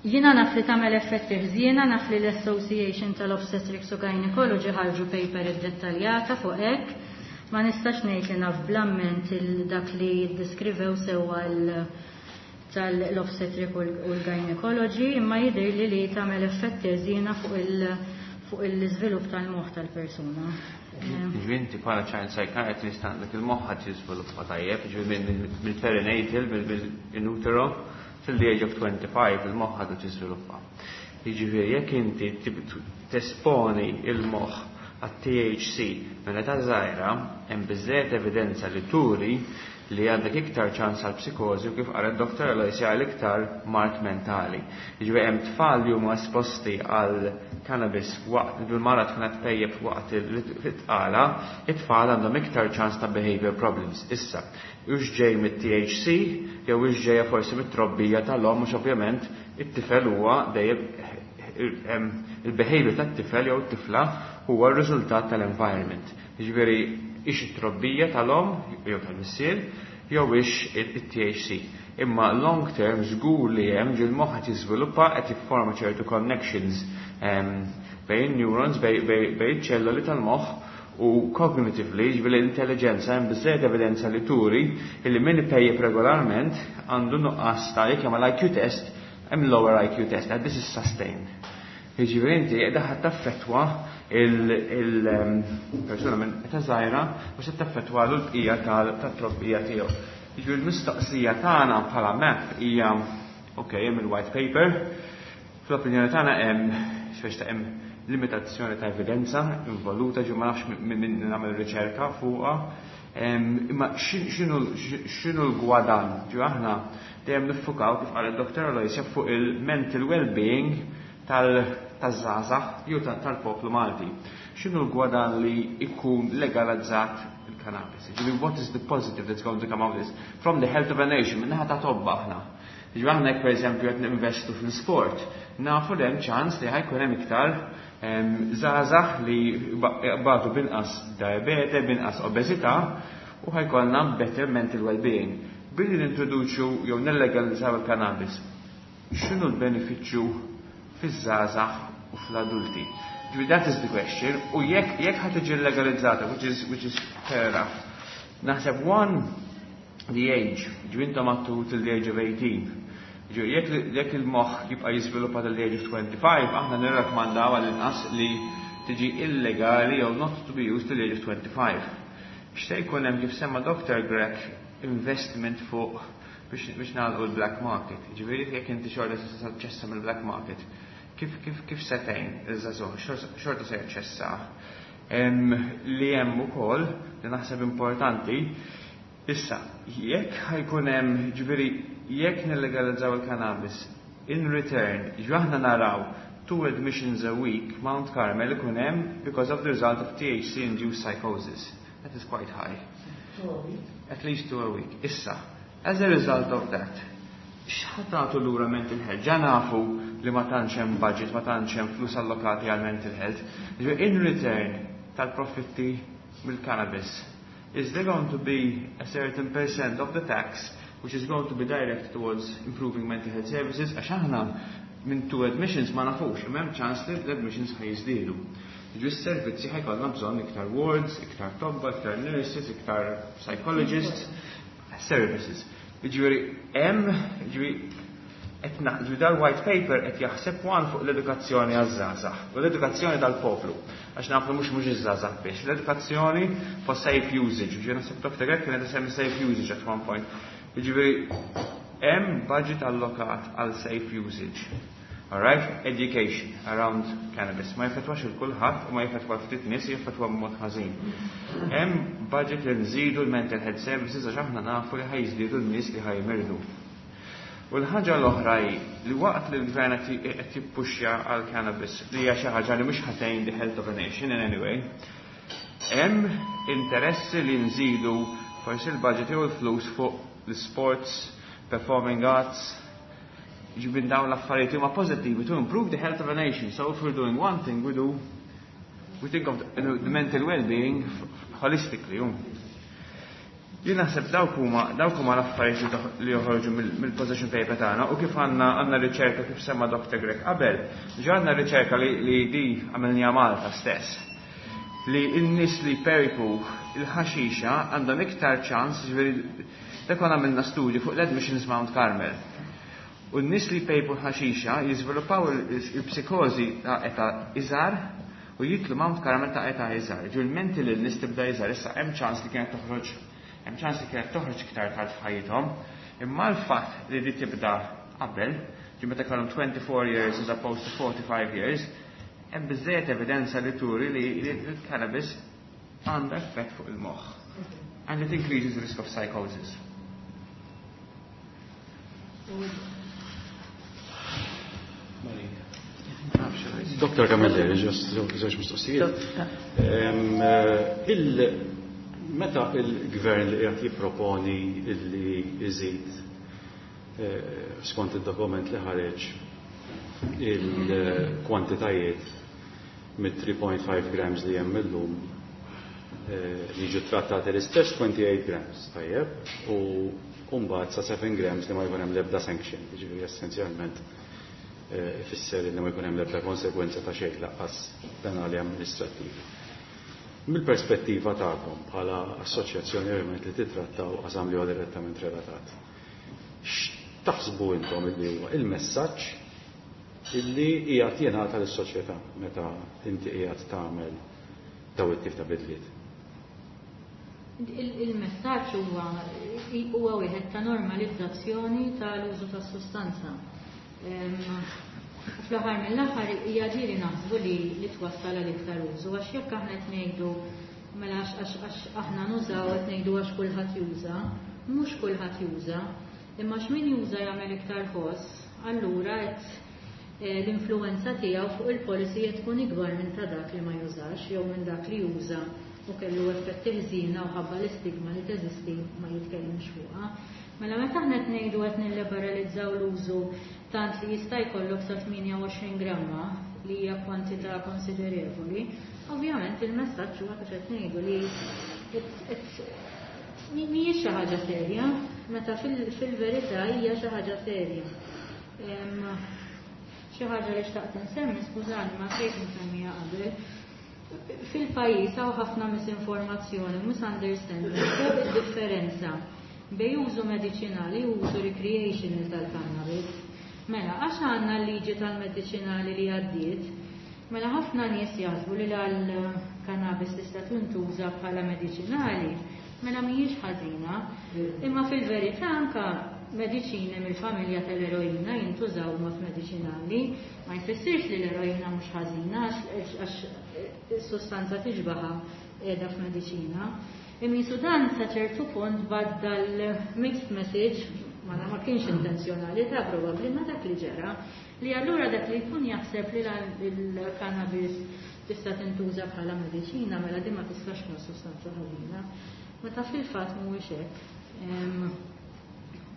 Jiena naf li tagħmel effetti ħżiena, naf li l-Association tal-Obstetrics u Gynecology ħarġu paper iddettaljata fuq hekk. Ma nistax ngħid li naf bl-amment dak li ddeskrivew sewwa tal-obstetric u l-gynecology, imma jidher li li tagħmel effetti ħżiena fuq l-iżvilupp tal-moħħ tal-persuna. Ġifieri inti bħala child psychiatrist għandek il-moħħ ħadd jiżviluppa tajjeb, ġifieri mill-perinatal, mill-in utero, till the age of 25 il-moħħ għadu tiżviluppa. Jiġifieri jekk inti tesponi il-moħħ għat-THC minn età żgħira, hemm biżżejjed evidenza li turi li għandek iktar ċans għal psikożi u kif qalet Dr. Aloysia għal iktar mard mentali. Jiġifieri hemm tfal li huma esposti għal cannabis waqt li l-mara tkun qed tpejjep waqt it-tqala, it-tfal għandhom iktar ċans ta' behavior problems. Issa, hux ġej mit-THC jew hux ġejja forsi mit-trobbija tal-omm mhux ovvjament it-tifel huwa dejjem il-behavior tat-tifel jew it-tifla huwa r-riżultat tal-environment. Jiġifieri hix it-trobbija tal-omm jew tal-missier jew hix it-THC. Imma long term żgur li hemm ġil moħħ qed jiżviluppa qed jifforma ċertu connections bejn neurons bejn ċelloli tal-moħħ u cognitively, ġifieri l-intelligenza hemm biżżejjed evidenza li turi illi min ipejjep regolarment għandu nuqqas ta' jekk jagħmel IQ test hemm lower IQ test, and this is sustained. Jiġifieri inti qiegħda ħadd taffettwa il-persuna minn età żgħira u se taffettwa l-bqija tat-trobbija tiegħu. Jiġifieri l-mistoqsija tagħna bħala MAP hija ok, hemm il-white paper, fl-opinjoni tagħna hemm x'biex ta' hemm limitazzjoni ta' evidenza involuta ġu ma nafx minn nagħmel riċerka fuqha. Imma x'inhu l-gwadan? Ġu aħna dejjem niffukaw kif qal id-Dr. Aloysia fuq il-mental well-being taż-żgħażagħ jew tal-poplu Malti. X'inhu l-gwadan li jkun legalizzat il-cannabis? Ġifieri what is the positive that's going to come out of this? From the health of a nation, minnaħa ta' tobba aħna. Ġifieri aħna jekk pereżempju qed ninvestu fl-sport, nafu li hemm ċans li ħa jkun hemm iktar żgħażagħ li jbatu binqas diabete, binqas obeżità u ħa jkollna better mental well-being. Billi nintroduċu jew nillegalizzaw il-cannabis, x'inhu l-benefiċċju fiż-żgħażagħ u fl-adulti? Ġifieri that is the question, u jekk ħa tiġi legalizzata, which is fair enough. Naħseb one, the age, ġifieri intom għattu till the age of 18. Ġifieri jekk il-moħħ jibqa' jiżviluppa till the age of 25, aħna nirrakkomandaw għall-inqas li tiġi illegali jew not to be used till the age of 25. X'se jkun hemm kif semma Dr. Grech investment fuq biex nagħlqu l-black market. Ġifieri jekk inti xorta se taċċessa mill-black market, kif se tgħin iż-żagħżugħ xorta se jaċċessa. Li hemm ukoll li naħseb importanti, issa jekk ħa jkun hemm ġifieri jekk nillegalizzaw il-cannabis in return, ġifieri aħna naraw 2 admissions a week Mount Carmel ikun hemm because of the result of THC induced psychosis. That is quite high. At least 2 a week. Issa, as a result of that, x'ħa tagħtu lura mental health? Ġa nafu li ma tantx hemm budget, ma tantx hemm flus allokati għal mental health. Ġifieri in return tal-profitti mill-cannabis, is there going to be a certain percent of the tax which is going to be directed towards improving mental health services? Għax aħna minn 2 admissions ma nafux, imma hemm ċans li l-admissions ħa jiżdiedu. Ġifieri s-servizzi ħa jkollna bżonn iktar wards, iktar tobba, iktar nurses, iktar psychologists, services. Ġifieri hemm, ġifieri qed naħdmu dal-white paper qed jaħseb one fuq l-edukazzjoni għaż-żgħażagħ u l-edukazzjoni tal-poplu. Għax nafu mhux iż-żgħażagħ biex, l-edukazzjoni for safe usage. Ġifieri naħseb Dr. Grech kienet isemmi safe usage at one point. Ġifieri hemm budget allokat għal safe usage. Alright? Education around cannabis. Ma jfetwax il-kulħadd u ma jfetwa ftit nies, jfetwa b'mod ħażin. Hemm budget li nżidu l-mental health services għax aħna nafu li ħa jiżdiedu n-nies li ħa jimirdu. U l-ħaġa l-oħra hi li waqt li l-gvern qed jippuxja għal cannabis li hija xi ħaġa li mhux ħa tgħin the health of a nation in any way, hemm interessi li nżidu forsi l-budget jew il-flus fuq l-sports, performing arts, ġibin dawn l-affarijiet huma pożittivi to improve the health of a nation. So if we're doing one thing, we think of the mental well-being holistically. Jien naħseb dawk huma dawk huma l-affarijiet li joħorġu mill-position paper tagħna u kif għandna għandna riċerka kif semma Dr. Grech qabel, ġa għandna riċerka li li di għamilniha Malta stess. Li n-nies li jpejpu il-ħaxixa għandhom iktar ċans, ġifieri dak konna għamilna studju fuq l-admissions Mount Carmel. U n-nies li jpejpu l-ħaxixa jiżviluppaw il-psikożi ta' età iżgħar u jitlu Mount Carmel ta' età iżgħar. Ġifieri l-mental illness tibda iżgħar, issa hemm ċans li kienet toħroġ Hemm ċans li kienet toħroġ iktar tard f'ħajjithom, imma l-fatt li di tibda qabel, ġi meta kellhom 24 years as opposed to 45 years, hemm biżżejjed evidenza li turi li l-cannabis għandha effett fuq il-moħħ. And it increases the risk of psychosis. Dr. Camilleri, żewġ mistoqsijiet. Meta il-gvern li qiegħed jipproponi li jżid skont id-dokument li ħareġ il-kwantitajiet mit-3.5 grams li hemm illum li jiġu trattati l-istess 28 grams, tajjeb, u mbagħad sa 7 grams li ma jkun hemm l-ebda sanction, jiġifieri essenzjalment ifisser li ma jkun hemm l-ebda konsegwenza ta' xejn lanqas penali amministrattivi. Mill-perspettiva tagħkom bħala assoċjazzjoni ovvjament li titrattaw qasam li huwa direttament relatat. X'taħsbu intom illi huwa il-messaġġ illi qiegħed jingħata lis-soċjetà meta inti qiegħed tagħmel daw it-tip ta' bidliet? Il-messaġġ huwa huwa wieħed ta' normalizzazzjoni tal-użu tas-sustanza. Fl-aħħar mill-aħħar hija ġieli naħsbu li li twassal għal iktar użu għax jekk aħna qed ngħidu mela għax aħna nużaw qed ngħidu għax kulħadd juża, mhux kulħadd juża, imma għax min juża jagħmel iktar ħoss, allura qed l-influwenza tiegħu fuq il-policy qed tkun ikbar minn ta' dak li ma jużax jew minn dak li juża u kellu effetti ħżiena u ħabba l-istigma li teżisti ma jitkellimx fuqha. Mela meta aħna qed ngħidu qed nilliberalizzaw l-użu tant li jista' jkollok sa 28 gramma li hija kwantità konsiderevoli, ovvjament il-messaġġ huwa kif qed ngħidu li mhijiex xi ħaġa serja, meta fil-verità hija xi ħaġa serja. Xi ħaġa li xtaqt insemmi, skużani ma sejt nsemmiha qabel, fil-pajjiż hawn ħafna misinformazzjoni u misunderstanding fuq id-differenza bejn użu mediċinali u użu recreational tal-cannabis. Mela, għax għandna l-liġi tal-mediċinali li għaddiet, mela ħafna nies jaħsbu li l-cannabis tista' tintuża bħala mediċinali, mela mhijiex ħażina, imma fil-verità anka mediċini mill-familja tal-eroina jintużaw mod mediċinali, ma jfissirx li l-eroina mhux ħażina għax is-sustanza tixbaha qiegħda f'mediċina. Imma dan sa ċertu punt baddal mixed message, ma ma kienx intenzjonali ta' probabbli ma dak li ġara, li allura dak li jkun jaħseb li l-cannabis tista' tintuża bħala mediċina, mela din ma tistax tkun sustanza ħażina. Meta fil-fatt mhuwiex hekk.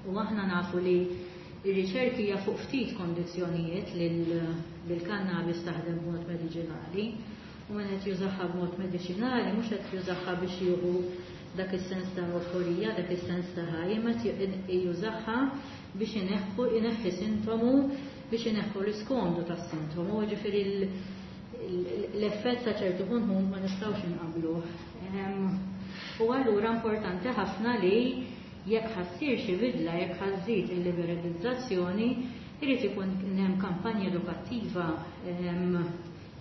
U aħna nafu li ir-riċerki hija fuq ftit kondizzjonijiet li l-cannabis taħdem b'mod mediċinali. U min qed jużaha b'mod mediċinali mhux qed jużaha biex jieħu dak is-sens ta' euforija, dak is-sens ta' ħaj, imma jużaha biex ineħħu ineħħi sintomu biex ineħħu l-iskomdu tas-sintomu, ġifieri l-effett sa ċertu punt ma nistgħux inqabluh. U allura importanti ħafna li jekk ħa ssir xi bidla, jekk ħa żżid il-liberalizzazzjoni, irid ikun hemm kampanja edukattiva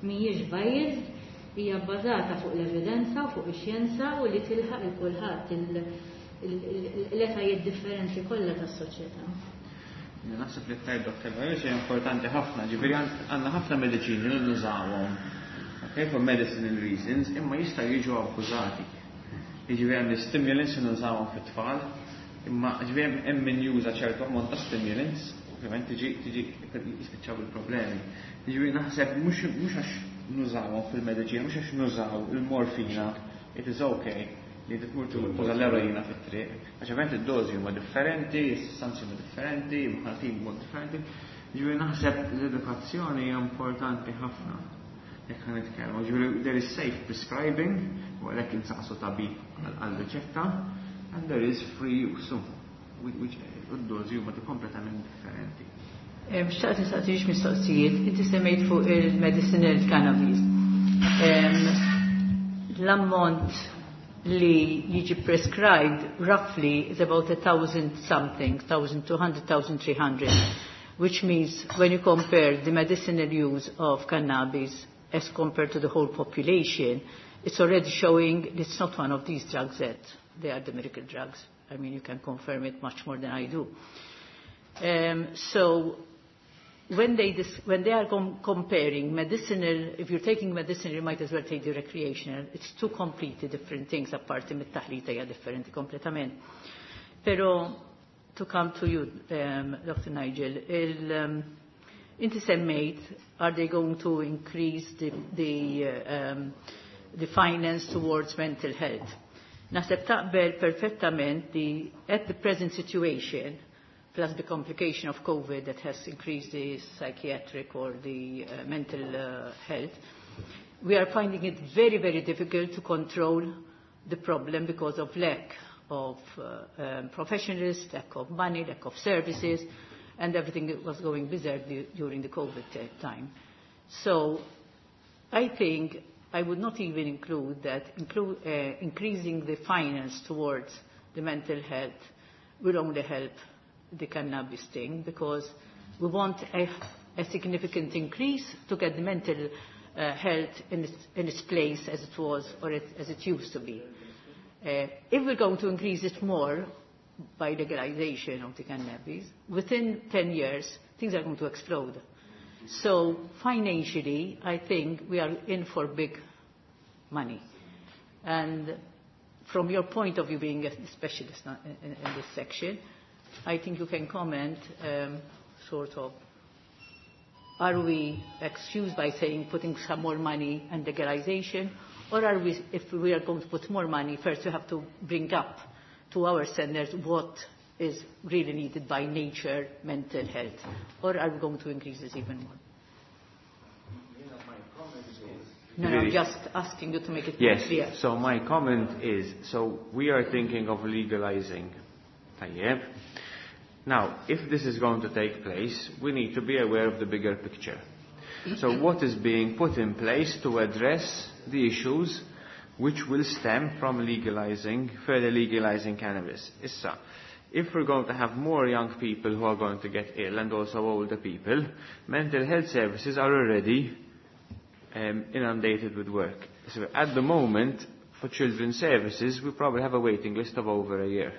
mhijiex biased, hija bbażata fuq l-evidenza u fuq ix-xjenza u li tilħaq il kulħadd l-etajiet differenti kollha tas-soċjetà. Naħseb li tajt Dr. Barris hija importanti ħafna, ġifieri għandna ħafna mediċini li nużawhom, okay, for medicinal reasons, imma jistgħu jiġu abbużati. Jiġifieri hemm stimulants li nużawhom fit-tfal, imma ġifieri hemm min juża ċertu ammont ta' stimulants, ovvjament tiġi tiġi jispiċċaw il-problemi. Jiġifieri naħseb mhux għax nużawhom fil-mediċina, mhux għax nużaw il-morfina, it is okay li tmur tuża l-eroina fit-triq. Għax ovvjament id-dożi huma differenti, is-sustanzi huma differenti, mħaltin b'mod differenti. Ġifieri naħseb l-edukazzjoni hija importanti ħafna. Jekk ħa nitkellmu, ġifieri there is safe prescribing, u għalhekk insaqsu tabib għal-riċetta. And there is free use, so, which d-dozi huma kompletament differenti. Xtaqt nistaqsi mistoqsijiet, inti semmejt fuq il-medicinal cannabis. L-ammont li jiġi prescribed roughly is about 1,000 something, 1,200, 1,300, which means when you compare the medicinal use of cannabis as compared to the whole population, it's already showing it's not one of these drugs that they are the miracle drugs. I mean, you can confirm it much more than I do. So when they are comparing medicinal, if you're taking medicinal, you might as well take the recreational. It's two completely different things, apparti mit-taħlita hija differenti kompletament. Pero to come to you, Dr. Nigel, inti semmejt, are they going to increase the finance towards mental health? Naħseb taqbel perfettament li at the present situation, plus the complication of COVID that has increased the psychiatric or the mental health, we are finding it very, very difficult to control the problem because of lack of professionals, lack of money, lack of services, and everything was going berserk during the COVID time. So I think I would not even include that increasing the finance towards the mental health will only help the cannabis thing, because we want a significant increase to get the mental health in its place as it was or as it used to be. If we're going to increase it more by legalization of the cannabis, within 10 years, things are going to explode. So financially, I think we are in for big money. And from your point of view, being a specialist in this section, I think you can comment, sort of, are we excused by saying putting some more money and legalization, or are we, if we are going to put more money, first we have to bring up to our standards what is really needed by nature, mental health, or are we going to increase this even more? No, no, I'm just asking you to make it Yes. clear. So my comment is, so we are thinking of legalizing. Tajjeb. Now, if this is going to take place, we need to be aware of the bigger picture. So what is being put in place to address the issues which will stem from further legalizing cannabis? Issa, if we're going to have more young people who are going to get ill and also older people, mental health services are already inundated with work. So at the moment, for children's services, we probably have a waiting list of over a year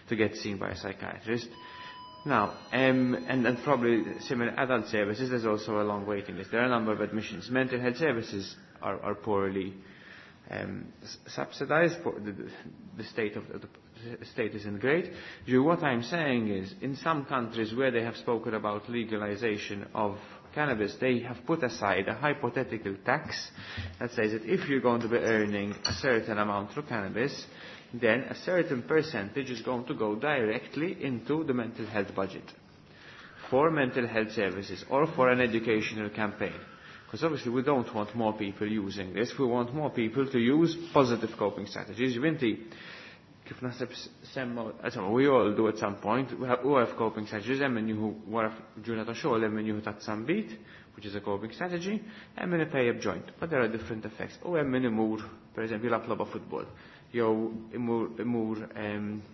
to get seen by a psychiatrist. Now, and probably similar adult services, there's also a long waiting list. There are a number of admissions. Mental health services are poorly subsidized. The state of the state isn't great. What I'm saying is, in some countries where they have spoken about legalization of cannabis, they have put aside a hypothetical tax that says that if you're going to be earning a certain amount through cannabis, then a certain percentage is going to go directly into the mental health budget for mental health services or for an educational campaign. Because obviously we don't want more people using this, we want more people to use positive coping strategies. Inti, kif naħseb semma, insomma, we all do at some point, we have coping strategies, hemm min jieħu wara ġurnata xogħol, hemm min jieħu tazza nbid, which is a coping strategy, hemm min ipejjep joint, but there are different effects. U hemm min imur, per eżempju, jilgħab logħba football, jew imur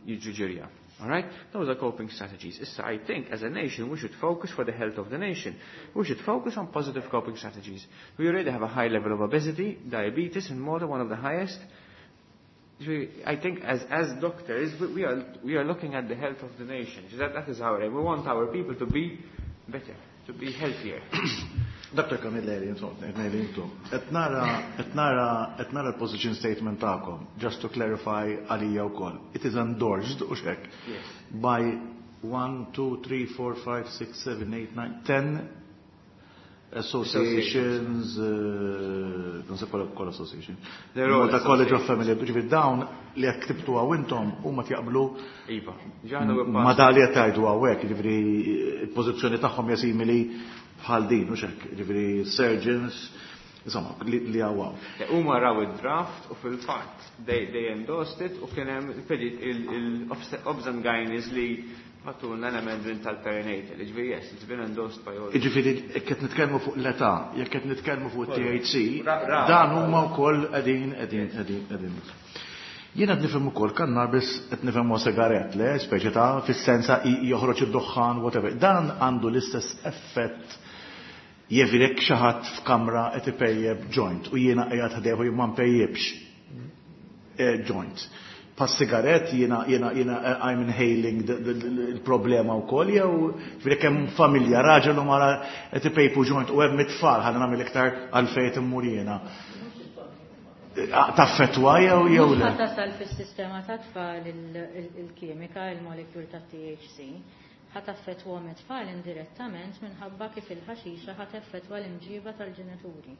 jiġri ġirja. All right? Those are coping strategies. Issa, I think as a nation we should focus for the health of the nation. We should focus on positive coping strategies. We already have a high level of obesity, diabetes, and more than one of the highest. I think as doctors, we are looking at the health of the nation. That is our aim. We want our people to be better, to be healthier. Dr. Camilleri, insomma, ngħid intom. Qed nara l-position statement tagħkom, just to clarify għalija wkoll. It is endorsed, u hekk, Yes. by 1, 2, 3, 4, 5, 6, 7, 8, 9, 10 associations, non so qual association. They're all Malta College of associations. Family, ġifieri dawn li jekk ktibtu hawn intom huma jaqblu Iva. Ġaħna u ma da li qed tgħidu hawnhekk, ġifieri il-pożizzjoni tagħhom hija simili bħal din, u hekk, ġifieri surgeons, Insomma, li għawaw. Huma raw id-draft u fil-fatt they endorsed it u kien hemm il-Obs and Gynaes li bagħtulna l-amendment tal-perinatal. Jiġifieri yes, it's been endorsed by all. Jiġifieri jekk qed nitkellmu fuq l-età, jekk qed nitkellmu fuq it-THC, dan huma wkoll qegħdin qegħdin qegħdin qegħdin. Jien qed nifhem ukoll cannabis qed nifhem huwa sigarett, le, speċi ta' fis-sensa joħroġ id-duħħan whatever. Dan għandu l-istess effett Jiġifieri jekk xi ħadd f'kamra qed ipejjep joint u jiena qiegħed ħdejh u jien ma npejjipx joint. Bħas-sigarett jiena jiena jiena I'm inhaling il-problema wkoll jew jiġifieri jekk hemm familja raġel u mara qed ipejpu joint u hemm it-tfal ħalli nagħmel iktar għalfejn qed immur jiena. Taffettwa jew jew le? Mhux ħa tasal fis-sistema tat-tfal il-kimika, il-molecule tat-THC. Ħa taffettwahom it-tfal indirettament minħabba kif il-ħaxixa ħa teffettwa l-imġiba tal-ġenituri.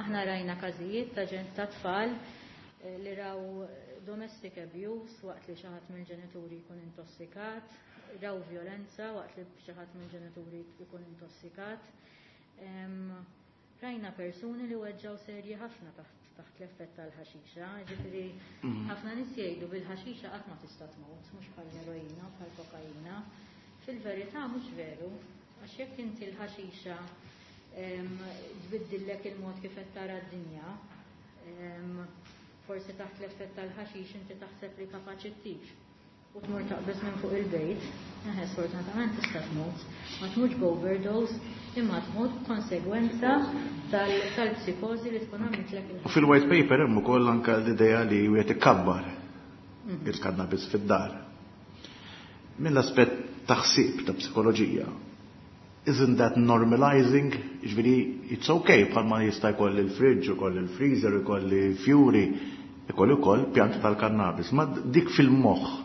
Aħna rajna każijiet ta' ta' tfal li raw domestic abuse waqt li xi ħadd mill-ġenituri jkun intossikat, raw vjolenza waqt li xi ħadd mill-ġenituri jkun intossikat. Rajna persuni li weġġgħu serji ħafna taħt taħt l-effett tal-ħaxixa, ġifieri ħafna nies jgħidu bil-ħaxixa qatt ma tista' tmut, mhux bħall-eroina, bħal kokaina. Fil-verità mhux veru, għax jekk inti l-ħaxixa tbiddillek il-mod kif qed tara d-dinja, forsi taħt l-effett tal-ħaxix inti taħseb li kapaċi ttir. U tmur taqbeż minn fuq il-bejt, eħe sfortunatament tista' tmut. Ma tmutx b'overdose, imma tmut b'konsegwenza tal-psikożi li tkun għamlitlek il U fil-white paper hemm ukoll anke l-idea li wieħed ikabbar il-kannabis fid-dar. Mill-aspett ta' ħsieb ta' psikoloġija, isn't that normalizing? Jiġifieri it's okay bħalma jista' jkolli l-fridge, ikolli l-freezer, ikolli fjuri, ikolli wkoll pjanti tal-kannabis. Ma dik fil-moħħ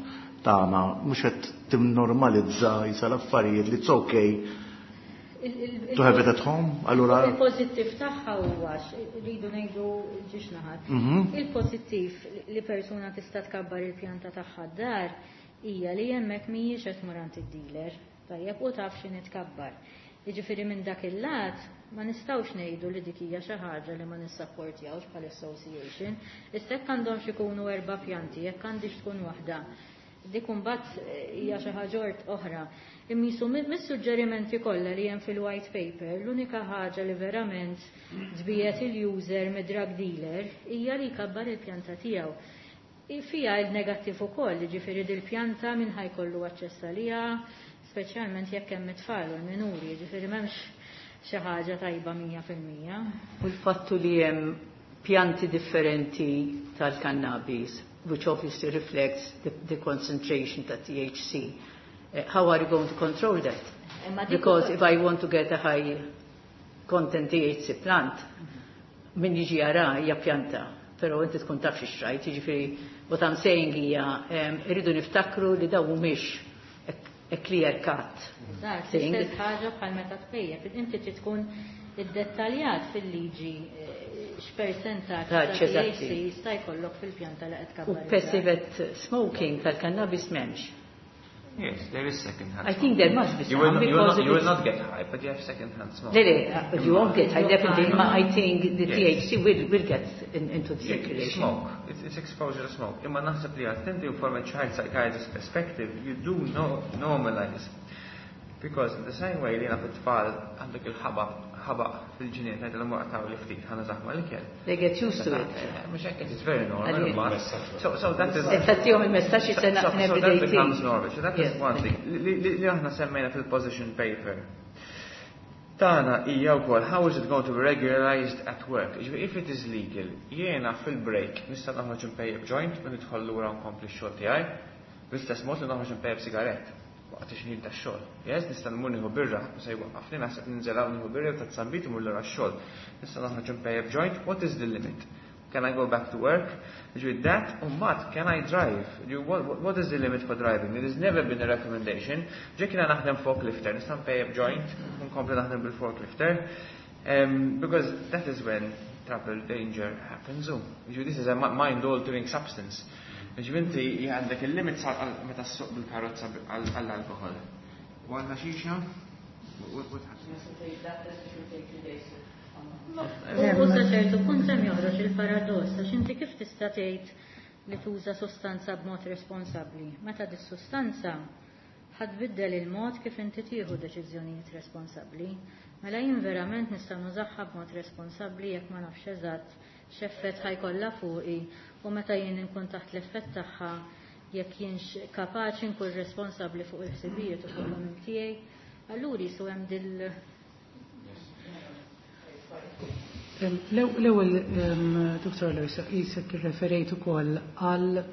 tagħna mhux qed timnormalizza jisa l-affarijiet li it's okay to have it at home, allura. Il-pożittiv tagħha huwa rridu ngħidu ġiex naħat. Il-pożittiv li persuna tista' tkabbar il-pjanta tagħha d-dar hija li hemmhekk mhijiex qed tmur għand id-dealer. Tajjeb, u taf x'inhi tkabbar. Jiġifieri minn dak il-lat ma nistgħux ngħidu li dik hija xi ħaġa li ma nissapportjawx bħal association. Issa jekk għandhomx ikunu erba' pjanti, jekk għandix tkun waħda, dik imbagħad hija xi ħaġa oħra. Imma jisu mis-suġġerimenti kollha li hemm fil-white paper, l-unika ħaġa li verament tbiegħed il-user mid-drug dealer hija li jkabbar il-pjanta tiegħu. Fija il-negattiv ukoll, jiġifieri dil-pjanta min ħa jkollu aċċess għaliha, speċjalment jekk hemm it-tfal u l-minuri, jiġifieri m'hemmx xi ħaġa tajba 100%. U l-fattu li hemm pjanti differenti tal-cannabis, which obviously reflects the concentration ta' THC. How are you going to control that? Because if I want to get a high content THC plant, min jiġi jara hija pjanta, pero inti tkun taf xi xtrajt, jiġifieri what I'm saying hija irridu niftakru li dawn mhumiex a clear cut thing. L-istess ħaġa bħal meta tpejjep, inti trid tkun iddettaljat fil-liġi x'persentaġġ ta' THC jista' jkollok fil-pjanta li qed tkabbar. U passive smoking tal-cannabis m'hemmx. Yes, there is second-hand I think there must be You some, because will it's not get high, but you have second-hand smoke. Le, le, you won't get high, definitely. Ma I think the THC will get into the Yeah, circulation. Smoke. It's exposure to smoke. Imma naħseb li attenti from a child psychiatrist perspective, you do normalize. Because in the same way li naf it-tfal għandek il-ħabaq fil-ġnien, ngħidilhom l-mur għataw li ftit, ħana zaħma l-ikel. They get used to it. Mhux hekk, it's very normal, Għalli. but so that is Infatti, jom il-messaġġ jisena So, so everyday that thing. becomes normal. So that is one thing. Li aħna semmejna fil-position paper. Tana hija wkoll how is it going to be regularized at work? Jiġifieri if it is legal, jiena fil-break nista' noħroġ impejjeb joint u nidħol lura nkompli x-xogħol tiegħi, bl-istess mod li noħroġ impejjeb sigarett waqt ix-xħin tax-xogħol. Yes, nista' nmur nieħu birra, u se jwaqqafni naħseb ninżel hawn nieħu birra u ta' sambit imur lura x-xogħol. Nista' noħroġ impejjeb joint, what is the limit? Can I go back to work? With that, u mbagħad, can I drive? What is the limit for driving? There has never been a recommendation. Ġekk jiena naħdem forklifter, nista' npejjeb joint, nkompli naħdem bil-forklifter. Because that is when trouble, danger happens. Ġifieri, this is a mind-altering substance. Ġifieri, inti għandek il-limit meta ssuq bil-karozza għall-alkohol. U għandna xixa? What happens? U sa ċertu punt hemm joħroġ il-paradoss għax inti kif tista' tgħid li tuża sostanza b'mod responsabbli meta dis-sustanza ħa tbiddel il-mod kif inti tieħu deċiżjonijiet responsabbli. Mela jien verament nista' nużaha b'mod responsabbli jekk ma nafx eżatt x'effett ħa jkollha fuqi u meta jien inkun taħt l-effett tagħha jekk jienx kapaċi nkun responsabbli fuq il-ħsibijiet u fuq l-għemil tiegħi. Allura jisu hemm dil L-ewwel Dr. Aloisa, qisek irreferejt ukoll għal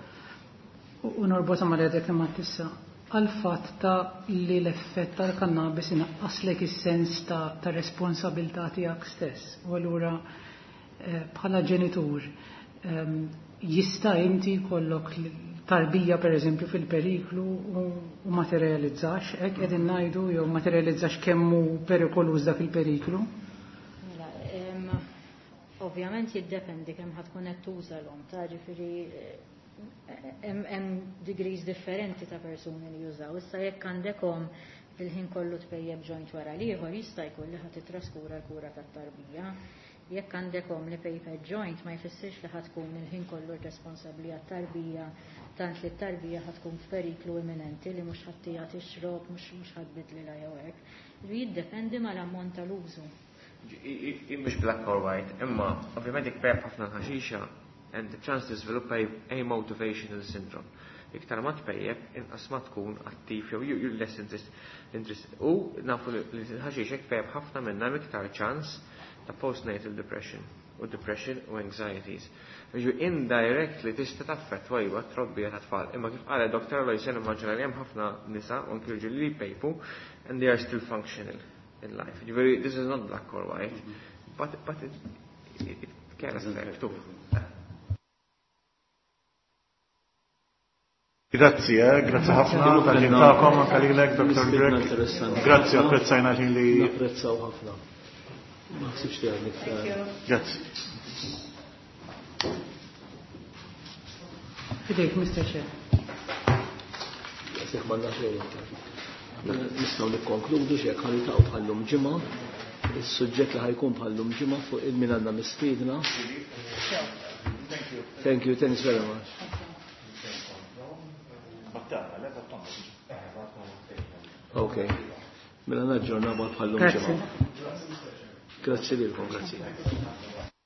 u norbotha ma' li għadek kemm għedt issa, għal fatt ta' li l-effett tal-kannabis inaqqaslek is-sens ta' responsabilità tiegħek stess. U allura bħala ġenitur jista' inti jkollok tarbija per eżempju fil-periklu u ma tirrealizzax, hekk qegħdin ngħidu jew ma tirrealizzax kemm hu perikoluż dak il-periklu? Mela, ovvjament jiddependi kemm ħa tkun qed tuża l-om, ta' ġifieri hemm degrees differenti ta' persuni li jużaw. Issa jekk għandek om il-ħin kollu tpejjeb joint wara l-ieħor jista' jkun li ħa titraskura l-kura tat-tarbija. Jekk għandek om li pejpet joint ma jfissirx li ħa tkun il-ħin kollu responsabbli għat-tarbija tant li t-tarbija ħa tkun f'periklu imminenti li mhux ħa ttiha tixrob, mhux ħa tbiddlilha jew hekk. Jiddependi mal-ammont tal-użu. Mhux black or white, imma ovvjament jekk pejjep ħafna ħaxixa and the chance to develop a motivational syndrome. Iktar ma tpejjep, inqas ma tkun attiv jew you're less interested. U nafu li l-ħaxix jekk tpejjep ħafna minnha hemm iktar ċans ta' postnatal depression u depression u anxieties. Ġu indirectly tista' taffettwa iva t-trobbija ta' tfal. Imma kif qalet Dr. Aloisa nimmaġina li hemm ħafna nisa u anki rġiel li jpejpu and they are still functional in life. Ġifieri this is not black or white, but it can affect too. Grazzi, grazzi ħafna tal-ħin tagħkom anke lilek, Dr. Grech. Grazzi, apprezzajna l-ħin li Napprezzaw ħafna. Ma ħsibx li għandek iktar. Grazzi. Fidejk, Mr. Chair. Grazzi, m'għandna xejn iktar. Nistgħu nikkonkludu x'hekk ħa niltaqgħu bħallum ġimgħa. Is-suġġett li ħa jkun bħallum ġimgħa fuq il-min għandna mistiedna. Thank you. Thank you, thanks very much. Ok. Mela naġġorna bħallum Grazzi. ġimgħa. Grazzi lilkom, grazzi.